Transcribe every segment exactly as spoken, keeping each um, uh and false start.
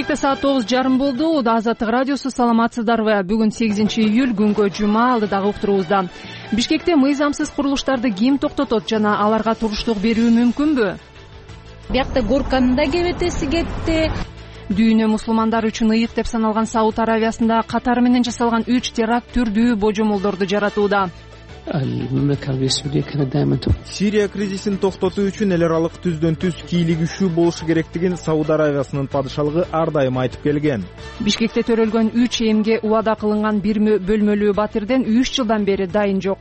Кечээкте саат тогуз жарым болду. Азаттык радиосу, саламатсыздарбы? Бүгүн сегизинчи июль, күнгө жума, алдыдагы уктуруубузда. Бишкекте мыйзамсыз курулуштарды ким токтотот жана аларга туруштук берүү мүмкүнбү? Биякта Горканын да кебетеси кетти. Дүйнө мусулмандар үчүн ыйык деп саналган Сауд Аравиясында катары менен жасалган үч теракт түрдүү божомолдорду жаратууда. Сирия кризисин токтотуу үчүн эл аралык түздөн түз кийлигишүү болушу керектигин Сауд Аравиясынын падышалыгы ар дайым айтып келген. Бишкекте төрөлгөн үч эмге убада кылынган бир бөлмөлүү батирден үч жылдан бери дайын жок.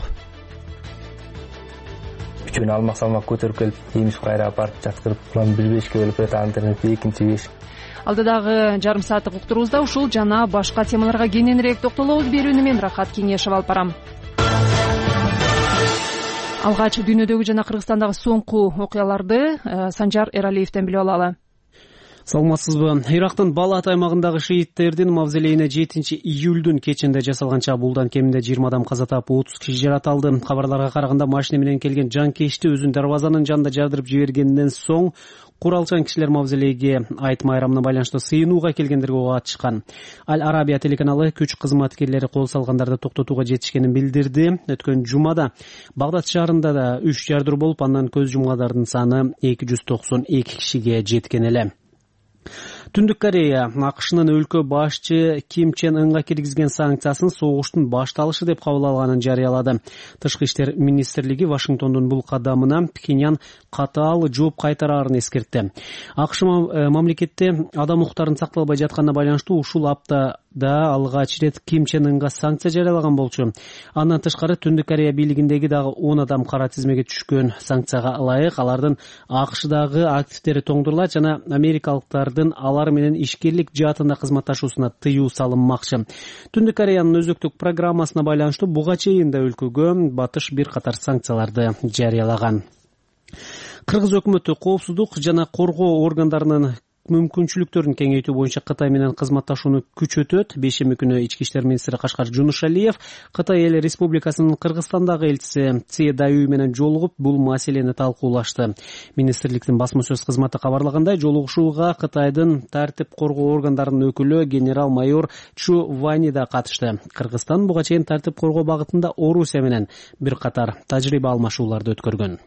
Үчүн алмак салмак көтөрүп келип, иймиз кайра апарып жаткырып, план бир бешке бөлүп кетип, андан экинчи беш. Алдыдагы жарым сааттык уктуруубузда ушул жана башка темаларга кененирээк токтолобуз. Берүүнү мен Рахат Кеңешев алып барам. Алгач дүйнөдөгү жана Кыргызстандагы соңку окуяларды Санжар Эралиевден билип алалы. Саламатсызбы? Ирактын Балат аймагындагы шииттердин мавзолейине жетинчи июлдун кечинде жасалган чабуулдан кеминде жыйырма адам каза таап, отуз киши жаратылды. Кабарларга караганда машина менен келген жанкечти өзүн дарбазанын жанында жардырып жибергенден соң куралчан кишилер мавзолейге айт майрамына байланыштуу сыйынууга келгендерге ок атышкан. Аль Арабия телеканалы күч кызматкерлери кол салгандарды токтотууга жетишкенин билдирди. Өткөн жумада Багдад шаарында да үч жардыруу болуп, андан көз жумгандардын саны эки жүз токсон эки кишиге жеткен эле. Түндүк Корея АКШнын өлкө башчы Ким Чен Ынга киргизген санкциясын согуштун башталышы деп кабыл алганын жарыялады. Тышкы иштер министрлиги Вашингтондун бул кадамына Пхеньян катаал жооп кайтараарын эскертти. АКШ мамлекетте адам укуктарынын сакталбай жатканына байланыштуу ушул аптада алгач ирет Ким Чен Ынга санкция жарыялаган болчу. Андан тышкары Түндүк Корея бийлигиндеги дагы он адам кара тизмеге түшкөн. Санкцияга ылайык алардын АКШдагы активдери тоңдурулат жана америкалыктардын алар менен ишкерлик жаатында кызматташуусуна тыюу салынмакчы. Түндүк Кореянын өзөктүк программасына байланыштуу буга чейин да өлкөгө батыш бир катар санкцияларды жарыялаган. Кыргыз өкмөтү коопсуздук жана коргоо органдарынын мүмкүнчүлүктөрүн кеңейтүү боюнча Кытай менен кызматташууну күчөтөт. Бейшемби күнү ички иштер министри Кашкар Жунушалиев Кытай эл республикасынын Кыргызстандагы элчиси Ци Даюй менен жолугуп, бул маселени талкуулашты. Министрликтин басма сөз кызматы кабарлагандай, жолугушууга Кытайдын тартип коргоо органдарынын өкүлү генерал-майор Чу Вани да катышты. Кыргызстан буга чейин тартип коргоо багытында Орусия менен бир катар тажрыйба алмашууларды өткөргөн.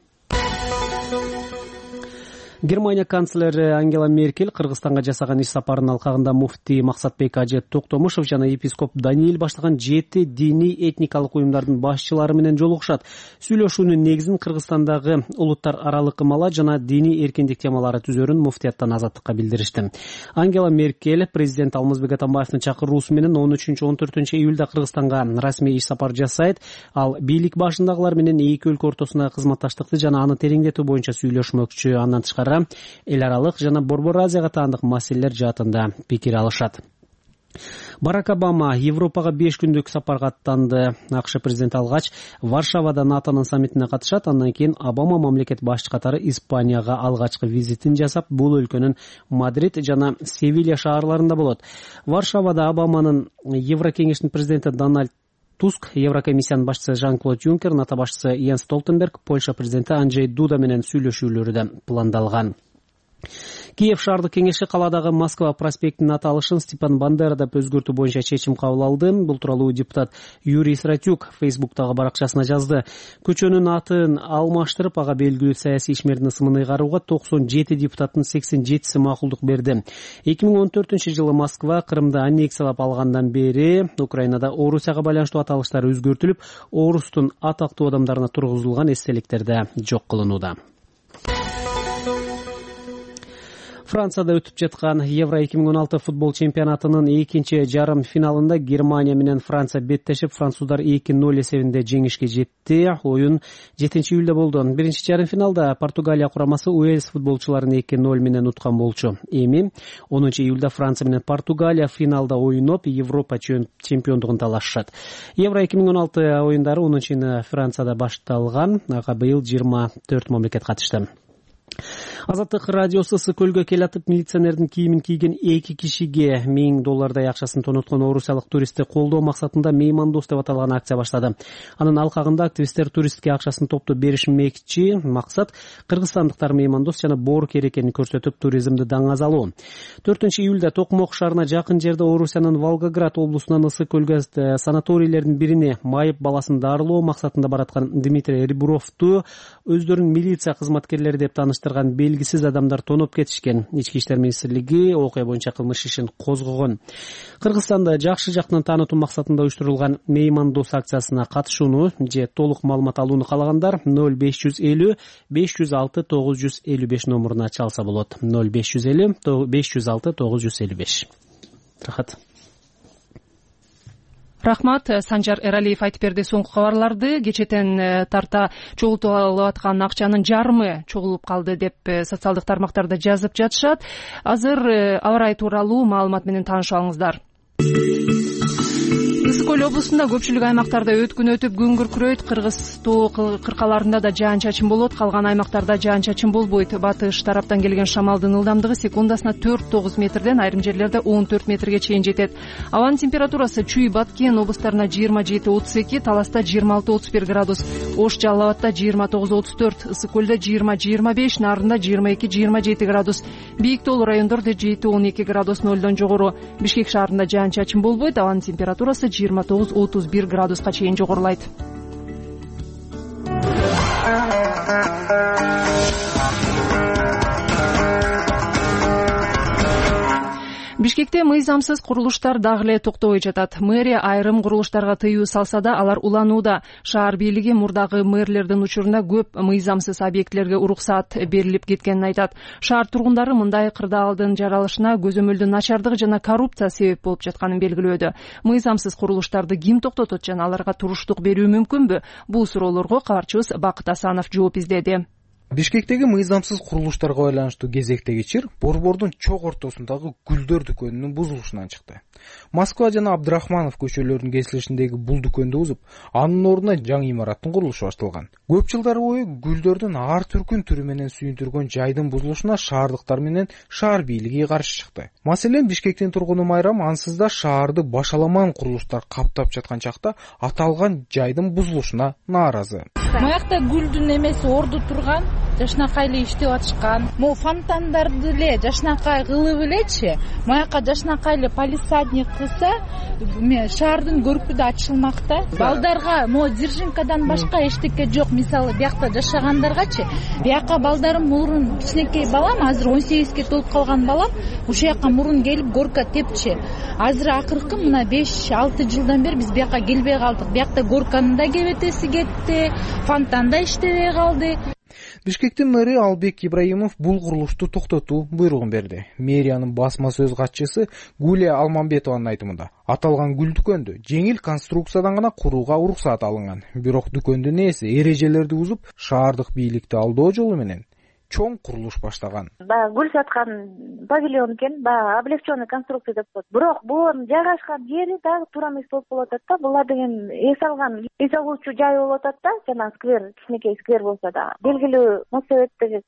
Германия канцлери Ангела Меркель Кыргызстанга жасаган иш сапарынын алкагында муфтий Максатбек Ажет Токтомушев жана епископ Даниил баштаган жети диний этникалык уюмдардын башчылары менен жолугушат. Сүйлөшүүнүн негизин Кыргызстандагы улуттар аралык ымала жана диний эркиндик темалары түзөрүн муфтияттан Азаттыкка билдиришти. Ангела Меркель президент Алмазбек Атамбаевдин чакыруусу менен он үчүнчү он төртүнчү июлда Кыргызстанга расмий иш сапар жасайт. Ал бийлик башындагылар менен эки өлкө ортосундагы кызматташтыкты жана аны тереңдетүү боюнча сүйлөшмөкчү. Андан тышкары эл аралык жана Борбор Азияга таандык маселелер жаатында пикир алышат. Барак Обама Европага беш күндүк сапарга аттанды. АКШ президенти алгач Варшавада НАТОнун саммитине катышат. Андан кийин Обама мамлекет башчы катары Испанияга алгачкы визитин жасап, бул өлкөнүн Мадрид жана Севилья шаарларында болот. Варшавада Обаманын Еврокеңештин президенти Дональд Туск, Еврокомиссиянын башчысы Жан-Клод Юнкер, НАТО башчысы Йенс Столтенберг, Польша президенти Анджей Дуда менен сүйлөшүүлөрү да пландалган. Киев шаардык кеңеши каладагы Москва проспектинин аталышын Степан Бандера деп өзгөртүү боюнча чечим кабыл алды. Бул тууралуу депутат Юрий Сратюк Фейсбуктагы баракчасына жазды. Көчөнүн атын алмаштырып, ага белгилүү саясий ишмердин ысымын ыйгарууга токсон жети депутаттын сексен жетиси макулдук берди. эки миң он төртүнчү жылы Москва Крымды аннексиялап алгандан бери Украинада Орусияга байланыштуу аталыштар өзгөртүлүп, Орустун атактуу адамдарына тургузулган эстеликтер да жок кылынууда. Францияда өтүп жаткан Евро эки миң он алты футбол чемпионатынын экинчи жарым финалында Германия менен Франция беттешип, француздар эки ноль эсебинде жеңишке жетти. Оюн жетинчи июлда болду. Биринчи жарым финалда Португалия курамасы Уэльс футболчуларын эки ноль менен уткан болчу. Эми онунчу июлда Франция менен Португалия финалда ойноп, Европа чемпиондугун талашышат. Евро эки миң он алты оюндары онунчу июнда Францияда башталган. Ага быйыл жыйырма төрт мамлекет катышты. Азаттык радиосу Ысык көлгө келатып милиционердин кийимин кийген эки кишиге миң доллардай акчасын тоноткон орусиялык туристти колдоо максатында меймандос деп аталган акция баштады. Анын алкагында активисттер туристке акчасын топтоп беришмекчи. Максат кыргызстандыктар меймандос жана боорукер экенин көрсөтүп туризмди даңазалоо. төртүнчү июлда Токмок шаарына жакын жерде Орусиянын Волгоград облусунан Ысык көлгө санаторийлердин бирине майып баласын дарылоо максатында бараткан Дмитрий Ребровду өздөрүн милиция кызматкерлери деп тааныштырган белгисиз адамдар тоноп кетишкен. Ички иштер министрлиги окуя боюнча кылмыш ишин козгогон. Кыргызстанда жакшы жактан таанытуу максатында уюштурулган меймандос акциясына катышууну же толук маалымат алууну каалагандар ноль беш жүз элүү беш жүз алты тогуз жүз элүү беш номуруна чалса болот. ноль беш жүз элүү беш жүз алты тогуз жүз элүү беш. Рахат. Рахмат. Санжар Эралиев айтып берди соңку кабарларды. Кечетен тарта чогултуп алып аткан акчанын жарымы чогулуп калды деп социалдык тармактарда жазып жатышат. Азыр аба ырайы тууралуу маалымат менен таанышалыңыздар. Ысык көл облусунда көпчүлүк аймактарда өткүн өтүп күн күркүрөйт. Кыргыз тоо кыркаларында да жаан чачын болот, калган аймактарда жаан чачын болбойт. Батыш тараптан келген шамалдын ылдамдыгы секундасына төрт тогуз метрден, айрым жерлерде он төрт метрге чейин жетет. Абанын температурасы Чүй, Баткен облустарына жыйырма жети отуз эки, Таласта жыйырма алты отуз бир градус, Ош, Жалал Абадта жыйырма тогуз отуз төрт, Ысык көлдө жыйырма жыйырма беш, Нарында жыйырма эки жыйырма жети градус, бийик тоолуу райондордо жети он эки градус нолдон жогору. Бишкек шаарында жаан чачын болбойт, абанын температурасы жыйырма тогуз отуз бир градуска чейин жогорулайт. Бишкекте мыйзамсыз курулуштар дагы эле токтобой жатат. Мэрия айрым курулуштарга тыюу салса да, алар уланууда. Шаар бийлиги мурдагы мэрлердин учуруна көп мыйзамсыз объектилерге уруксаат берилип кеткенин айтат. Шаар тургундары мындай кырдаалдын жаралышына көзөмөлдүн начардыгы жана коррупция себеп болуп жатканын белгилөөдө. Мыйзамсыз курулуштарды ким токтотот жана аларга туруштук берүү мүмкүнбү? Бул суроолорго кабарчыбыз Бакыт Асанов жооп издеди. Бишкектеги мыйзамсыз курулуштарга байланыштуу кезектеги чыр Борбордун чок ортосундагы гүлдөр дүкөнүнүн бузулушунан чыкты. Москва жана Абдрахманов көчөлөрүнүн кесилишиндеги бул дүкөндү бузуп, анын ордуна жаңы имараттын курулушу башталган. Көп жылдар бою гүлдөрдүн ар түркүн түрү менен сүйүндүргөн жайдын бузулушуна шаардыктар менен шаар бийлиги каршы чыкты. Маселен, Бишкектин тургуну Майрам ансыз да шаарды башаламан курулуштар каптап жаткан чакта аталган жайдын бузулушуна нааразы. Маякта гүлдүн эмеси орду турган, жашнакай эле иштеп атышкан. Могу фонтандарды эле жашнакай кылып элечи, маяка жашнакай эле палисадник кылса, шаардын көркү да ачылмакта. Балдарга могу Дзержинкадан башка эчтеке жок. Мисалы, биякта жашагандаргачы, бияка балдарым мурун кичинекей балам, азыр он сегизге толуп калган балам, ушул жака мурун келип горка тепчи. Азыр акыркы мына беш алты жылдан бери биз бияка келбей калдык. Биякта горканын да кебетеси кетти, фонтан да иштебей калды. Бишкектин мэри Албек Ибраимов бул курулушту токтотуу буйругун берди. Мэриянын басма сөз катчысы Гулия Алмамбетованын айтымында, аталган гүл дүкөндү жеңил конструкциядан гана курууга уруксаат алынган. Бирок дүкөндүн ээси эрежелерди бузуп, шаардык бийликти алдоо жолу менен чоң курулуш баштаган. Баягы гүл саткан павильон экен, баягы облегченный конструкция деп коет. Бирок булардын жайгашкан жери дагы туура эмес болуп калып атат да. Булар деген эс алган, эс алуучу жай болуп атат да, жана сквер, кичинекей сквер болсо да. Белгилүү мосебеттеги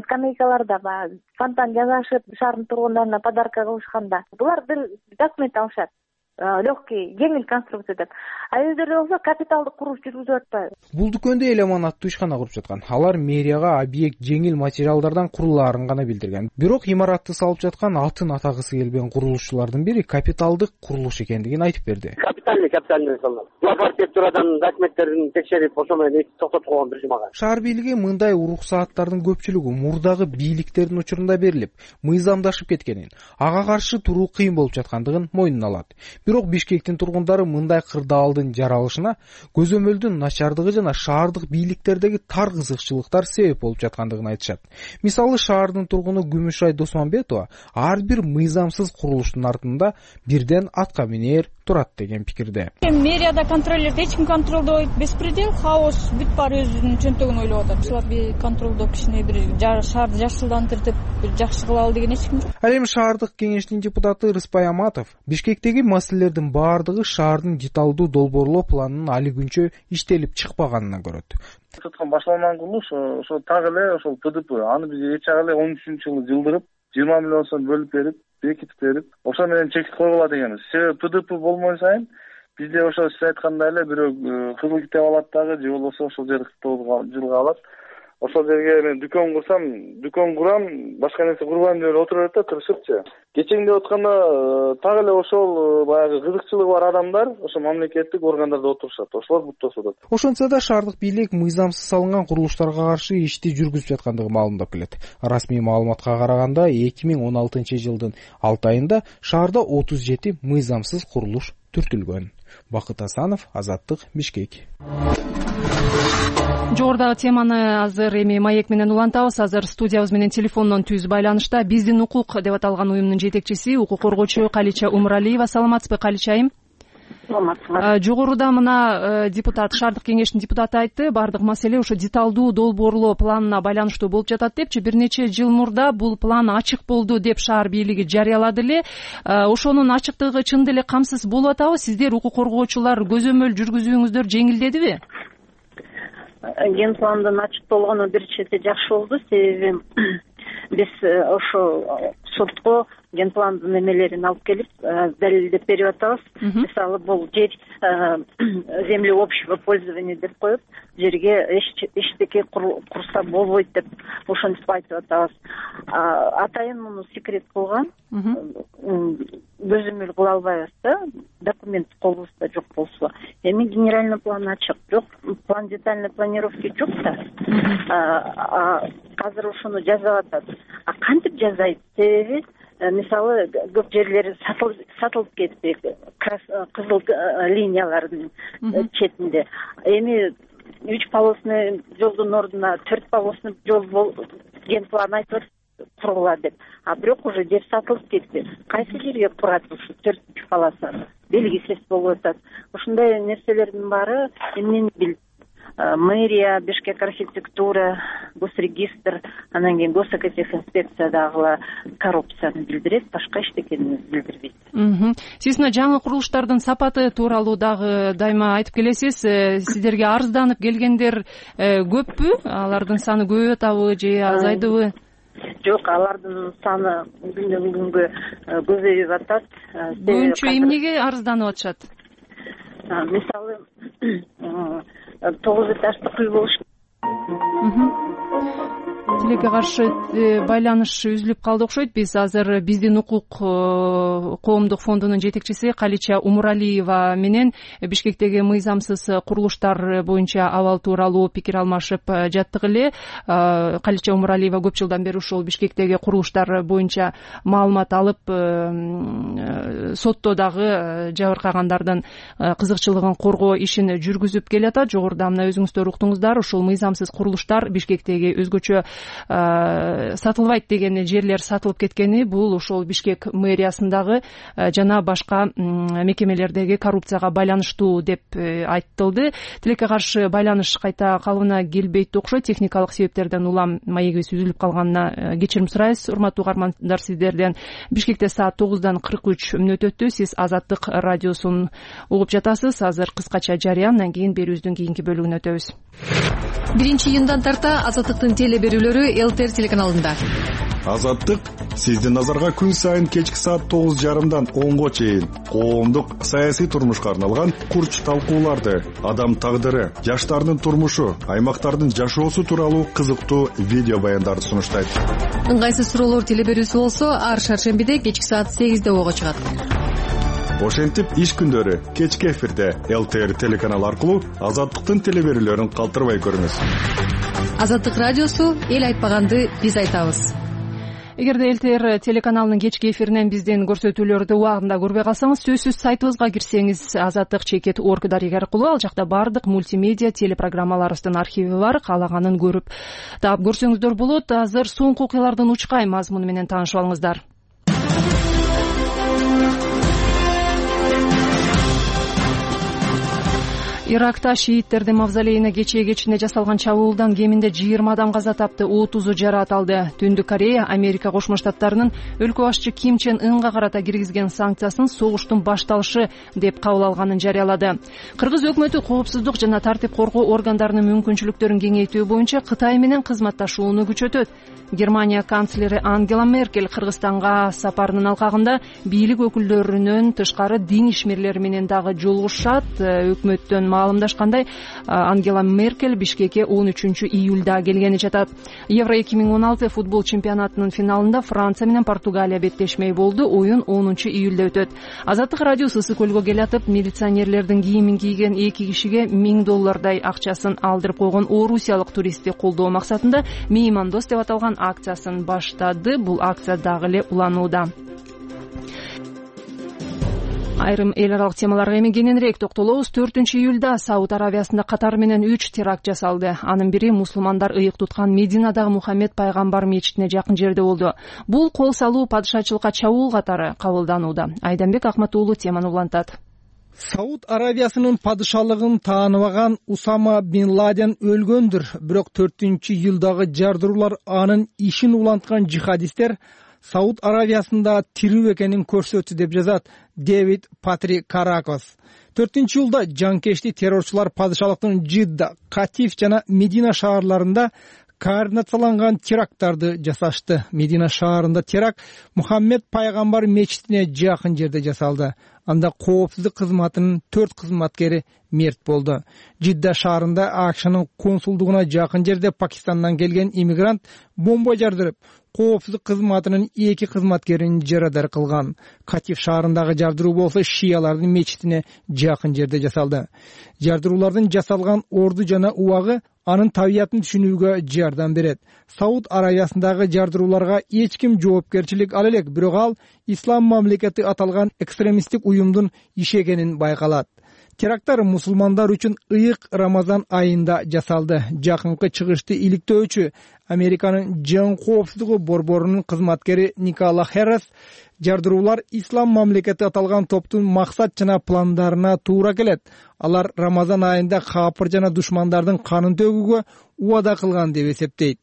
скамейкаларда баягы фонтан жасашып, шаардын тургундарына подарка кылышканда, булар бир документ алышат. Легкий, жеңил конструкция деп. А өздөрү болсо капиталдык курулуш жүргүзүп атпайбы. Бул дүкөндө эл аманаттуу ишкана куруп жаткан. Алар мэрияга объект жеңил материалдардан курулаарын гана билдирген. Бирок имаратты салып жаткан атын атагысы келбеген курулушчулардын бири капиталдык курулуш экендигин айтып берди. Капитальный, капитальный салат. Булар архитектурадан документтерин текшерип, ошо менен токтотуп койгон режимага. Шаар бийлиги мындай уруксааттардын көпчүлүгү мурдагы бийликтердин учурунда берилип, мыйзамдашып кеткенин, ага каршы туруу кыйын болуп жаткандыгын мойнуна алат. Бирок Бишкектин тургундары мындай кырдаалдын жаралышына көзөмөлдүн начардыгы жана шаардык бийликтердеги тар кызыкчылыктар себеп болуп жаткандыгын айтышат. Мисалы, шаардын тургуну Күмүшай Досманбетова ар бир мыйзамсыз курулуштун артында бирден атка минер турат деген пикирде. Мэрияда контролдойт, эч ким контролдойт, беспредел, хаос, бүт баары өзүнүн чөнтөгүн ойлоп атат. Ушуларды контролдоп кичине бир шаарды жакшылантырып, жакшы кылалы деген эч ким жок. Ал эми шаардык кеңештин депутаты Рыспай Аматов Бишкектеги маселе маселелердин баардыгы шаардын деталдуу долбоорлоо планынын али күнчө иштелип чыкпаганына көрөт. Башталган курулуш ошо так эле ошол П Д П аны биз эч ак эле он үчүнчү жылы жылдырып жыйырма миллион сом бөлүп берип бекитип берип ошо менен чекит койгула дегенбиз. Себеби П Д П болмой сайын бизде ошо сиз айткандай эле бирөө кызыл китеп алат дагы же болбосо ошол жерди жылга алат. Ошол жерге мен дүкөн курсам, дүкөн курам, башка нерсе курбайм деп отура берет да тырышыпчы. Кечеңде отканда так эле ошол баягы кызыкчылыгы бар адамдар ошо мамлекеттик органдарда отурушат. Ошолор буттосуп атат. Ошентсе да шаардык бийлик мыйзамсыз салынган курулуштарга каршы ишти жүргүзүп жаткандыгы маалымдап келет. Расмий маалыматка караганда эки миң он алтынчы жылдын алты айында шаарда отуз жети мыйзамсыз курулуш түртүлгөн. Бакыт Асанов, Азаттык, Бишкек. Жогорудагы теманы азыр эми маек менен улантабыз. Азыр студиябыз менен телефондон түз байланышта Биздин укук деп аталган уюмдун жетекчиси, укук коргоочу Калича Умуралиева. Саламатсызбы, Калича айым? Саламатсызбы. Жогоруда мына депутат, шаардык кеңештин депутаты айтты, баардык маселе ошо деталдуу долбоорлоо планына байланыштуу болуп жатат депчи. Бир нече жыл мурда бул план ачык болду деп шаар бийлиги жарыялады эле. Ошонун ачыктыгы чын деле камсыз болуп атабы? Сиздер укук коргоочулар көзөмөл жүргүзүүңүздөр жеңилдедиби? Ген пландын ачыкталганы бир чети жакшы болду, себеби биз ошо сотко ген пландын эмелерин алып келип далилдеп берип атабыз. Мисалы бул жер земли общего пользования деп коюп, жерге эчтеке курса болбойт деп ошентип айтып атабыз. Атайын муну секрет кылган, көзөмөл кыла албайбыз да, документ колубузда жок болсо. Эми генеральный план ачык, жок план детальной планировки жок да. Азыр ошону жазып атат. А кантип жазайт? Себеби мисалы көп жерлери сатылып кетти, кызыл линиялардын четинде. Эми үч полосный жолдун ордуна төрт полосный жол ген план айтып кургула деп. А бирок уже жер сатылып кетти. Кайсы жерге курат ушу төртүнчү полоса? Белгисиз болуп атат. Ушундай нерселердин баары эмнени билет? Мэрия, Бишкек архитектура, госрегистр, анан кийин госэкотехинспекция дагы коррупцияны билдирет, башка эчтекени билдирбейт. Сиз мына жаңы курулуштардын сапаты тууралуу дагы дайыма айтып келесиз. Сиздерге арызданып келгендер көппү? Алардын саны көбөйүп атабы же азайдыбы? Жок, алардын саны күндөн күнгө көбөйүп атат. Көбүнчө эмнеге арызданып атышат? Мисалы тогуз этаждык үй болуш. Тилекке каршы байланыш үзүлүп калды окшойт. Биз азыр Биздин укук коомдук фондунун жетекчиси Калича Умуралиева менен Бишкектеги мыйзамсыз курулуштар боюнча абал тууралуу пикир алмашып жаттык эле. Калича Умуралиева көп жылдан бери ушул Бишкектеги курулуштар боюнча маалымат алып, сотто дагы жабыркагандардын кызыкчылыгын коргоо ишин жүргүзүп келатат. Жогоруда мына өзүңүздөр уктуңуздар, ушул мыйзамсыз курулуштар Бишкектеги өзгөчө сатылбайт деген жерлер сатылып кеткени бул ошол Бишкек мэриясындагы жана башка мекемелердеги коррупцияга байланыштуу деп айтылды. Тилекке каршы байланыш кайта калыбына келбейт окшойт. Техникалык себептерден улам маегибиз үзүлүп калганына кечирим сурайбыз. Урматтуу угармандар, сиздерден Бишкекте саат тогуздан кырк үч мүнөт өттү. Сиз Азаттык радиосун угуп жатасыз. Азыр кыскача жарыя, андан кийин берүүбүздүн кийинки бөлүгүнө өтөбүз. биринчи июндан тарта Азаттыктын теле берүүлөрү ЛТР телеканалында. Азаттык сиздин назарга күн сайын кечки саат тогуз жарымдан онго чейин коомдук саясий турмушка арналган курч талкууларды, адам тагдыры, жаштардын турмушу, аймактардын жашоосу тууралуу кызыктуу видео баяндарды сунуштайт. Ыңгайсыз суроолор теле берүүсү болсо ар шаршембиде кечки саат сегизде ого чыгат. Ошентип иш күндөрү кечки эфирде ЛТР телеканалы аркылуу Азаттыктын теле берүүлөрүн калтырбай көрүңүз. Азаттык радиосу эл айтпаганды биз айтабыз. Эгерде ЛТР телеканалынын кечки эфиринен биздин көрсөтүүлөрдү убагында көрбөй калсаңыз, сөзсүз сайтыбызга кирсеңиз азаттык чекит орг дарек аркылуу ал жакта бардык мультимедиа телепрограммаларыбыздын архиви бар. Каалаганын көрүп таап көрсөңүздөр болот. Азыр соңку окуялардын учкай мазмуну менен таанышып алыңыздар. Иракта шииттердин мавзолейине кечээ кечинде жасалган чабуулдан кеминде жыйырма адам каза тапты, отузу жараат алды. Түндүк Корея Америка Кошмо Штаттарынын өлкө башчы Ким Чен Ынга карата киргизген санкциясын согуштун башталышы деп кабыл алганын жарыялады. Кыргыз өкмөтү коопсуздук жана тартип коргоо органдарынын мүмкүнчүлүктөрүн кеңейтүү боюнча Кытай менен кызматташууну күчөтөт. Германия канцлери Ангела Меркель Кыргызстанга сапарынын алкагында бийлик өкүлдөрүнөн тышкары дин ишмерлери менен дагы жолугушат. Өкмөттөн маалымдашкандай, Ангела Меркель Бишкекке он үчүнчү июлда келгени жатат. Евро эки миң он алты футбол чемпионатынын финалында Франция менен Португалия беттешмей болду. Оюн онунчу июлда өтөт. Азаттык радиосу Ысык көлгө келатып, милиционерлердин кийимин кийген эки кишиге миң доллардай акчасын алдырып койгон орусиялык туристти колдоо максатында меймандос деп аталган акциясын баштады. Бул акция дагы эле уланууда. Айрым эл аралык темаларга эми кененирээк токтолобуз. төртүнчү июлда Сауд Аравиясында катар менен үч теракт жасалды. Анын бири мусулмандар ыйык туткан Мединадагы Мухаммед пайгамбар мечитине жакын жерде болду. Бул кол салуу падышачылыкка чабуул катары кабылданууда. Айданбек Акматуулу теманы улантат. Сауд Аравиясынын падышалыгын тааныбаган Усама бин Ладен өлгөндүр. Бирок төртүнчү июлдагы жардыруулар анын ишин уланткан жихадисттер Сауд Аравиясында тирүү экенин көрсөттү деп жазат Дэвид Патри Каракос. төртүнчү июлда жанкешти террорчулар падышалыктын Жидда, Катиф жана Медина шаарларында координацияланган теракттарды жасашты. Медина шаарында теракт Мухаммед пайгамбар мечитине жакын жерде жасалды. Анда коопсуздук кызматынын төрт кызматкери мерт болду. Жидда шаарында АКШнын консулдугуна жакын жерде Пакистандан келген иммигрант бомба жардырып, коопсуздук кызматынын эки кызматкерин жарадар кылган. Катиф шаарындагы жардыруу болсо шиялардын мечитине жакын жерде жасалды. Жардыруулардын жасалган орду жана убагы анын табиятын түшүнүүгө жардам берет. Сауд Аравиясындагы жардырууларга эч ким жоопкерчилик ала элек, бирок ал ислам мамлекети аталган экстремисттик уюмдун иши экенин байкалат. Теракттар мусулмандар үчүн ыйык Рамазан айында жасалды. Жакынкы чыгышты иликтөөчү Американын жан коопсуздугу борборунун кызматкери Никола Херрес жардыруулар ислам мамлекети аталган топтун максат жана пландарына туура келет. Алар Рамазан айында капыр жана душмандардын канын төгүүгө убада кылган деп эсептейт.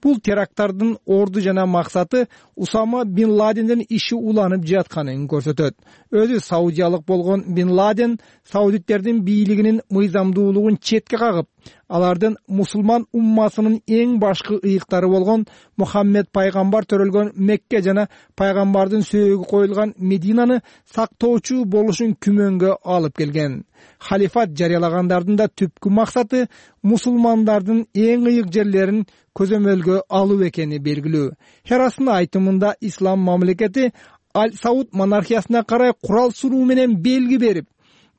Бул теракттардын орду жана максаты Усама бин Ладендин иши уланып жатканын көрсөтөт. Өзү саудиялык болгон бин Ладен саудиттердин бийлигинин мыйзамдуулугун четке кагып, алардын мусулман уммасынын эң башкы ыйыктары болгон Мухаммед пайгамбар төрөлгөн Мекке жана пайгамбардын сөөгү коюлган Мединаны сактоочу болушун күмөнгө алып келген. Халифат жарыялагандардын да түпкү максаты мусулмандардын эң ыйык жерлерин көзөмөлгө алуу экени белгилүү. Херастын айтымында ислам мамлекети Аль-Сауд монархиясына карай курал суруу менен белги берип,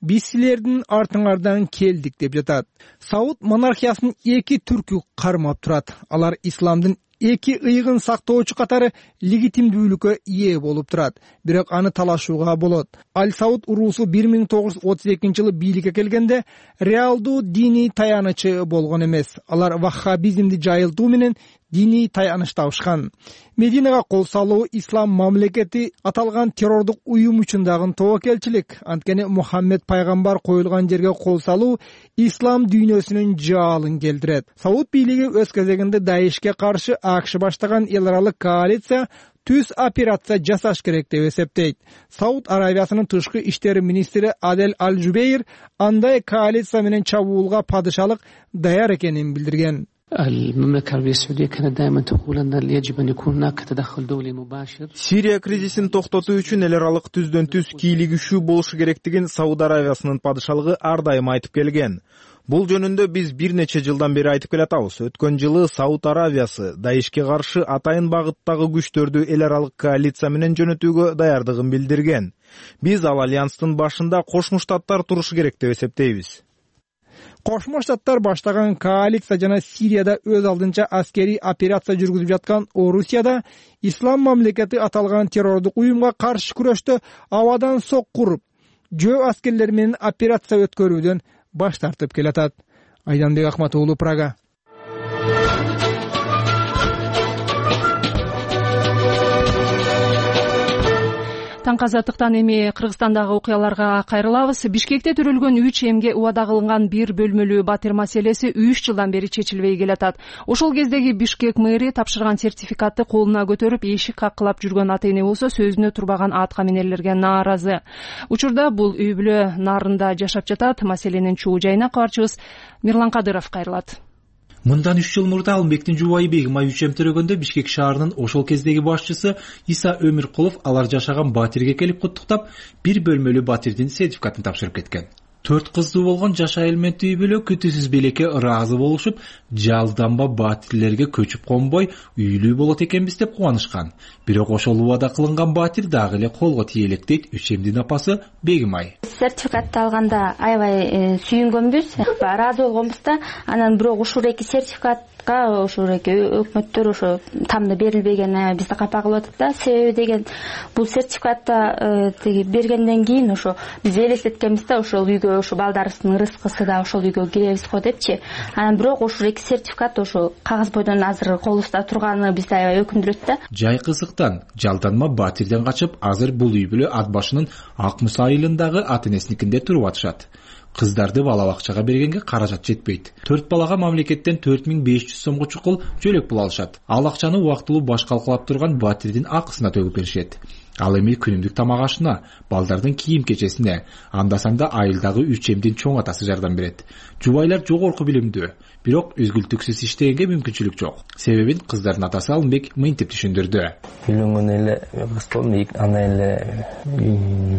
биз силердин артыңардан келдик деп жатат. Сауд монархиясынын эки түркү кармап турат. Алар исламдын эки ыйыгын сактоочу катары легитимдүүлүккө ээ болуп турат. Бирок аны талашууга болот. Аль-Сауд уруусу бир миң тогуз жүз отуз экинчи жылы бийликке келгенде реалдуу диний таянычы болгон эмес. Алар ваххабизмди жайылтуу менен диний таяныш табышкан. Мединага кол салуу ислам мамлекети аталган террордук уюм үчүн дагы тобокелчилик. Анткени Мухаммед пайгамбар коюлган жерге кол салуу ислам дүйнөсүнүн жаалын келтирет. Сауд бийлиги өз кезегинде Даишке каршы АКШ баштаган эл аралык коалиция түз операция жасаш керек деп эсептейт. Сауд Аравиясынын тышкы иштери министри Адель Аль-Жубейр андай коалиция менен чабуулга падышалык даяр экенин билдирген. المملكة العربية السعودية كانت دائما تقول أن يجب أن يكون هناك تدخل دولي مباشر. Сирия кризисин токтотуу үчүн эл аралык түздөн түз кийлигишүү болушу керектигин Сауд Аравиясынын падышалыгы ар дайым айтып келген. Бул жөнүндө биз бир нече жылдан бери айтып келатабыз. Өткөн жылы Сауд Аравиясы Даишке каршы атайын багыттагы күчтөрдү эл аралык коалиция менен жөнөтүүгө даярдыгын билдирген. Биз ал альянстын башында Кошмо Штаттар турушу керек деп эсептейбиз. Кошмо Штаттар баштаган коалиция жана Сирияда өз алдынча аскерий операция жүргүзүп жаткан Орусияда ислам мамлекети аталган террордук уюмга каршы күрөштө абадан соккуруп, жөө аскерлер менен операция өткөрүүдөн баш тартып келатат. Айданбек Акматуулу, Прага. Таңкы Азаттыктан эми Кыргызстандагы окуяларга кайрылабыз. Бишкекте төрөлгөн үч эмге убада кылынган бир бөлмөлүү батир маселеси үч жылдан бери чечилбей келатат. Ошол кездеги Бишкек мэри тапшырган сертификатты колуна көтөрүп эшик каккылап жүргөн ата эне болсо сөзүнө турбаган ат каменерлерге нааразы. Учурда бул үй бүлө нарында жашап жатат. Маселенин чуу жайына кабарчыбыз Мирлан Кадыров кайрылат. Мындан үч жыл мурда Алымбектин жубайы Бегимай үч эм төрөгөндө Бишкек шаарынын ошол кездеги башчысы Иса Өмүркулов алар жашаган батирге келип куттуктап, бир бөлмөлүү батирдин сертификатын тапшырып кеткен. Төрт кыздуу болгон жаш айылменти үй бүлө күтүүсүз белекке ыраазы болушуп, жалданба батирлерге көчүп конбой үйлүү болот экенбиз деп кубанышкан. Бирок ошол убада кылынган батир дагы эле колго тие элек дейт үч эмдин апасы Бегимай. Сертификатты алганда аябай сүйүнгөнбүз, ыраазы болгонбуз да. Анан бирок ушул эки сертификат ошол эки өкмөттөр ошо тамды берилбеген бизди капа кылып атат да. Себеби деген бул сертификатты тиги бергенден кийин ошо биз элестеткенбиз да, ошол үйгө ошо балдарыбыздын рызкысы да ошол үйгө киребиз го депчи. Анан бирок ошол эки сертификат ошо кагаз бойдон азыр колубузда турганы бизди аябай өкүндүрөт да. Жай кызыктан жалданма батирден качып, азыр бул үй бүлө ат башынын Ак Мыс айылындагы ата энесиникинде туруп атышат. Кыздарды бала бакчага бергенге каражат жетпейт. Төрт балага мамлекеттен төрт миң беш жүз сомго чукул жөлөк пул алышат. Ал акчаны убактылуу баш калкалап турган батирдин акысына төгүп беришет. Ал эми күнүмдүк тамак ашына, балдардын кийим кечесине, анда санда айылдагы үч эмдин чоң атасы жардам берет. Жубайлар жогорку билимдүү, бирок үзгүлтүксүз иштегенге мүмкүнчүлүк жок. Себебин кыздардын атасы Алымбек мынтип түшүндүрдү. Үйлөнгөн эле кыз болдум, андан эле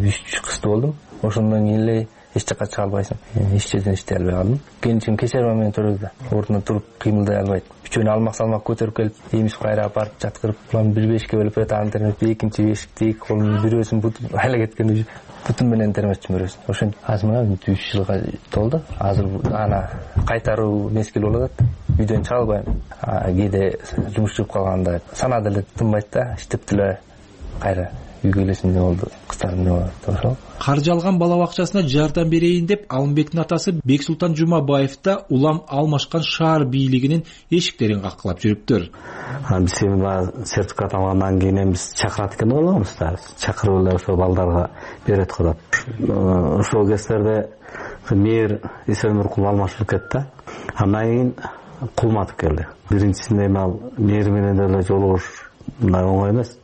үч кыз болдум. Ошондон кийин эле эч жака чыга албайсың. Эч жерден иштей албай калдым. Кенчим кечер менен төрөлдү. Ордуна туруп кыймылдай албайт. Үчөөнү алмак салмак көтөрүп келип, ийимиз кайра апарып жаткырып, план бир бешке бөлүп атам термеп, экинчи бешикти эки колун бирөөсүн бутуп айла кеткен бутум менен термечим бирөөсүн. Ошентип азыр мына үч жылга толду. Азыр ана кайтаруу мезгил болуп атат. Үйдөн чыга албайм. Кээде жумуш чыгып калганда санаа деле тынбайт да, иштеп деле кайра үйгө келесиң деп болду. Кыздарым деп болду ошол. Каржы алган бала бакчасына жардам берейин деп Алымбектин атасы Бексултан Жумабаев да улам алмашкан шаар бийлигинин эшиктерин каккылап жүрүптүр. Биз эми сертификат алгандан кийин биз чакырат экен деп ойлогонбуз да. Чакырып эле ошо балдарга берет го деп. Ошол кездерде мэр Иса Өмүркулов алмашып кетти. Андан кийин Кулматов келди. Биринчисинде эми ал мэр менен деле жолугуш мындай оңой эмес.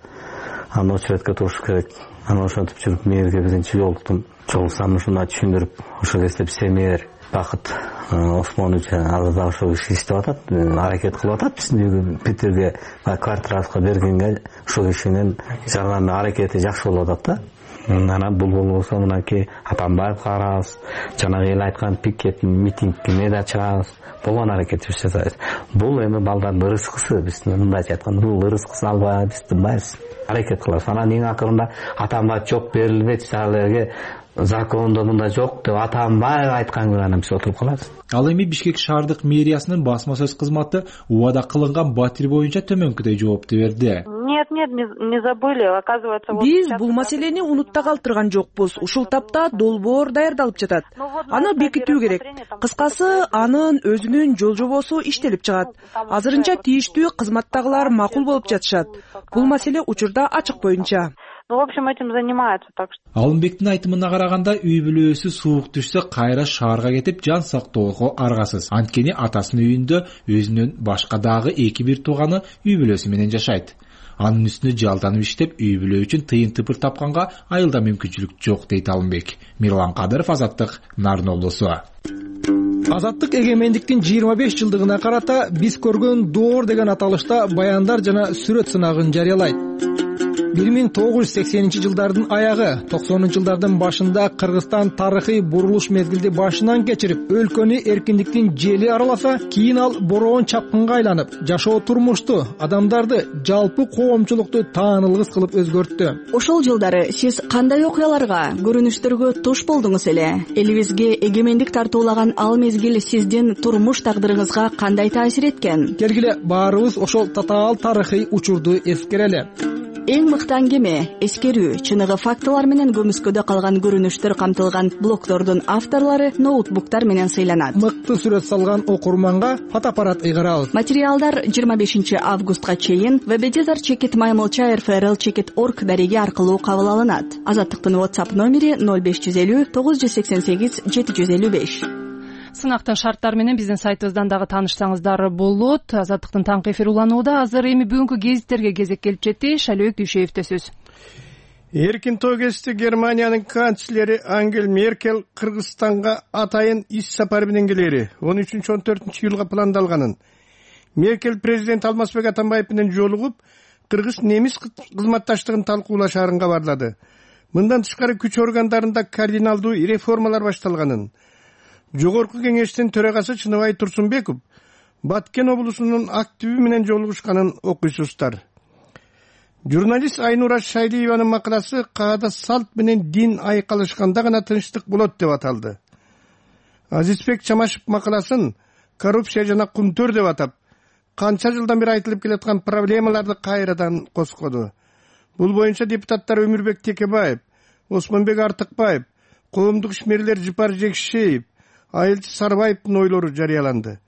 Аны очередке туруш керек. Аны ошентип жүрүп мэрге биринчи жолуктум. Жолуксам ушуна түшүндүрүп, ошол кезде биз мэр Бакыт Осмонович азыр да ошол киши иштеп атат, аракет кылып атат биздин үйгө Питерге квартирабызга бергенге ошол кишинин жардамы аракети жакшы болуп атат да. Анан бул болбосо мынакей Атамбаев карабыз, жанагы эл айткан пикет митингине да чыгабыз. Болгон аракетибиз жасайбыз. Бул эми балдардын рызкысы, биз мындайча айтканда бул рызкысын албай биз тынбайбыз. Аракет кылабыз. Анан эң акырында Атамбаев жок берилбейт, аларга закондо мындай жок деп Атамбаев айткан күнү биз отуруп калабыз. Ал эми Бишкек шаардык мэриясынын басма сөз кызматы убада кылынган батир боюнча төмөнкүдөй жоопту берди. Нет, нет, не забыли, оказывается. Биз бул маселени унутта калтырган жокпуз. Ушул тапта долбоор даярдалып жатат. Аны бекитүү керек. Кыскасы, анын өзүнүн жол жобосу иштелип чыгат. Азырынча тийиштүү кызматтагылар макул болуп жатышат. Бул маселе учурда ачык боюнча. Ну, в общем, этим занимаются, так что. Алымбектин айтымына караганда, үй бүлөсү суук түшсө кайра шаарга кетип жан сактоого аргасыз. Анткени атасынын үйүндө өзүнүн башка дагы эки бир тууганы үй бүлөсү менен жашайт. Анын үстүнө жалданып иштеп, үй бүлө үчүн тыйын тыпыр тапканга айылда мүмкүнчүлүк жок дейт Алымбек. Мирлан Кадыров, Азаттык, Нарын облусу. Азаттык эгемендиктин жыйырма беш жылдыгына карата биз көргөн доор деген аталышта баяндар жана сүрөт сынагын жарыялайт. бир миң тогуз жүз сексенинчи жылдардын аягы, токсонунчу жылдардын башында Кыргызстан тарыхый бурулуш мезгилди башынан кечирип, өлкөнү эркиндиктин жели араласа, кийин ал бороон чапкынга айланып, жашоо турмушту, адамдарды, жалпы коомчулукту таанылгыс кылып өзгөрттү. Ошол жылдары сиз кандай окуяларга, көрүнүштөргө туш болдуңуз эле? Элибизге эгемендик тартуулаган ал мезгил сиздин турмуш тагдырыңызга кандай таасир эткен? Келгиле баарыбыз ошол татаал тарыхый учурду эскерели. эң мыкты аңгеме, эскерүү, чыныгы фактылар менен көмүскөдө калган көрүнүштөр камтылган блогдордун авторлору ноутбуктар менен сыйланат. Мыкты сүрөт салган окурманга фотоаппарат ыйгарабыз. Материалдар жыйырма бешинчи августка чейин вебедизар чекит маймылча эр эф эр эл чекит орг дареги аркылуу кабыл алынат. Азаттыктын WhatsApp номери ноль беш жүз элүү тогуз жүз сексен сегиз жети жүз элүү беш. Сынактын шарттары менен биздин сайтыбыздан дагы таанышсаңыздар болот. Азаттыктын таңкы эфири уланууда. Азыр эми бүгүнкү гезиттерге кезек келип жетти. Шалыбек Дүйшеевде сөз. Эркин тоо кести Германиянын канцлери Ангела Меркель Кыргызстанга атайын иш сапары менен келери он үчүнчү он төртүнчү июлга пландалганын. Меркель президент Алмазбек Атамбаев менен жолугуп, кыргыз-немис кызматташтыгын талкуулашаарын кабарлады. Мындан тышкары күч органдарында кардиналдуу реформалар башталганын. Жогорку кеңештин төрагасы Чыныбай Турсунбеков Баткен облусунун активи менен жолугушканын окуйсуздар. Журналист Айнура Шайлиеванын макаласы каада салт менен дин айкалышканда гана тынчтык болот деп аталды. Азизбек Чамашев макаласын коррупция жана кунтөр деп атап, канча жылдан бери айтылып келаткан проблемаларды кайрадан коскоду. Бул боюнча депутаттар Өмүрбек Текебаев, Осмонбек Артыкбаев, коомдук ишмерлер Жыпар Жекшеев, Айылчы Сарбаевдин ойлору жарыяланды.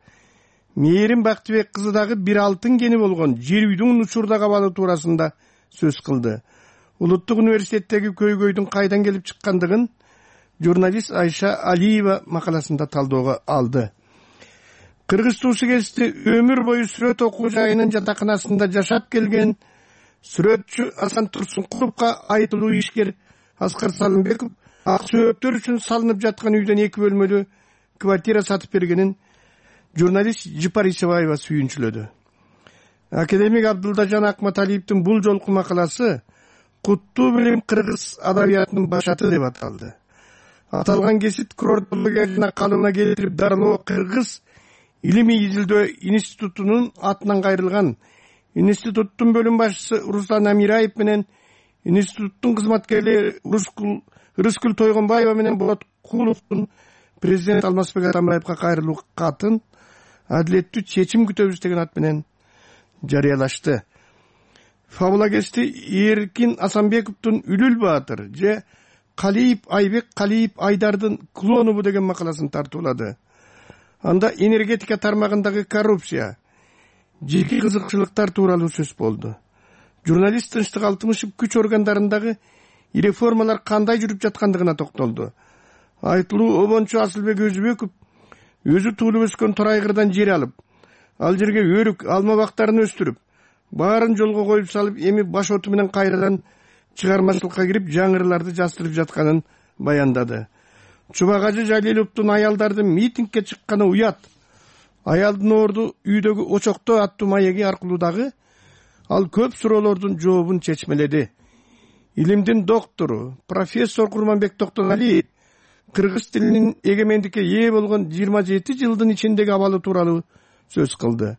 Мээрим Бактыбек кызы дагы бир алтын кени болгон жер үйдүн учурда кабалы туурасында сөз кылды. Улуттук университеттеги көйгөйдүн кайдан келип чыккандыгын журналист Айша Алиева макаласында талдоого алды. Кыргыз туусу кести өмүр бою сүрөт окуу жайынын жатаканасында жашап келген сүрөтчү Асан Турсункуловго айтылуу ишкер Аскар Салымбеков ак сөөктөр үчүн салынып жаткан үйдөн эки бөлмөлүү квартира сатып бергенин журналист Жыпар Исебаева сүйүнчүлөдү. Академик Абдылдажан Акматалиевдин бул жолку макаласы куттуу билим кыргыз адабиятынын башаты деп аталды. Аталган кесип курортология жана калыбына келтирип дарылоо кыргыз илимий изилдөө институтунун атынан кайрылган институттун бөлүм башчысы Руслан Амираев менен институттун кызматкерлери Рыскүл Тойгонбаева менен Болот Куловдун президент Алмазбек Атамбаевга кайрылуу катын адилеттүү чечим күтөбүз деген ат менен жарыялашты. Фабула кести Эркин Асанбековдун Үлүл Баатыр же Калиев Айбек Калиев Айдардын клонубу деген макаласын тартуулады. Анда энергетика тармагындагы коррупция, жеке кызыкчылыктар тууралуу сөз болду. Журналист Тынчтык Алтымышев күч органдарындагы реформалар кандай жүрүп жаткандыгына токтолду. Айтылуу обончу Асылбек Өзүбеков өзү туулуп өскөн Торайгырдан жер алып, ал жерге өрүк, алма бактарын өстүрүп, баарын жолго коюп салып, эми баш оту менен кайрадан чыгармачылыкка кирип, жаңырыларды жастырып жатканын баяндады. Чубагажы Жалиловдун аялдардын митингге чыкканы уят. Аялдын орду үйдөгү очокто аттуу маеги аркылуу дагы ал көп суроолордун жообун чечмеледи. Илимдин доктору, профессор Курманбек Токтоналиев кыргыз тилинин эгемендикке ээ болгон жыйырма жети жылдын ичиндеги абалы тууралуу сөз кылды.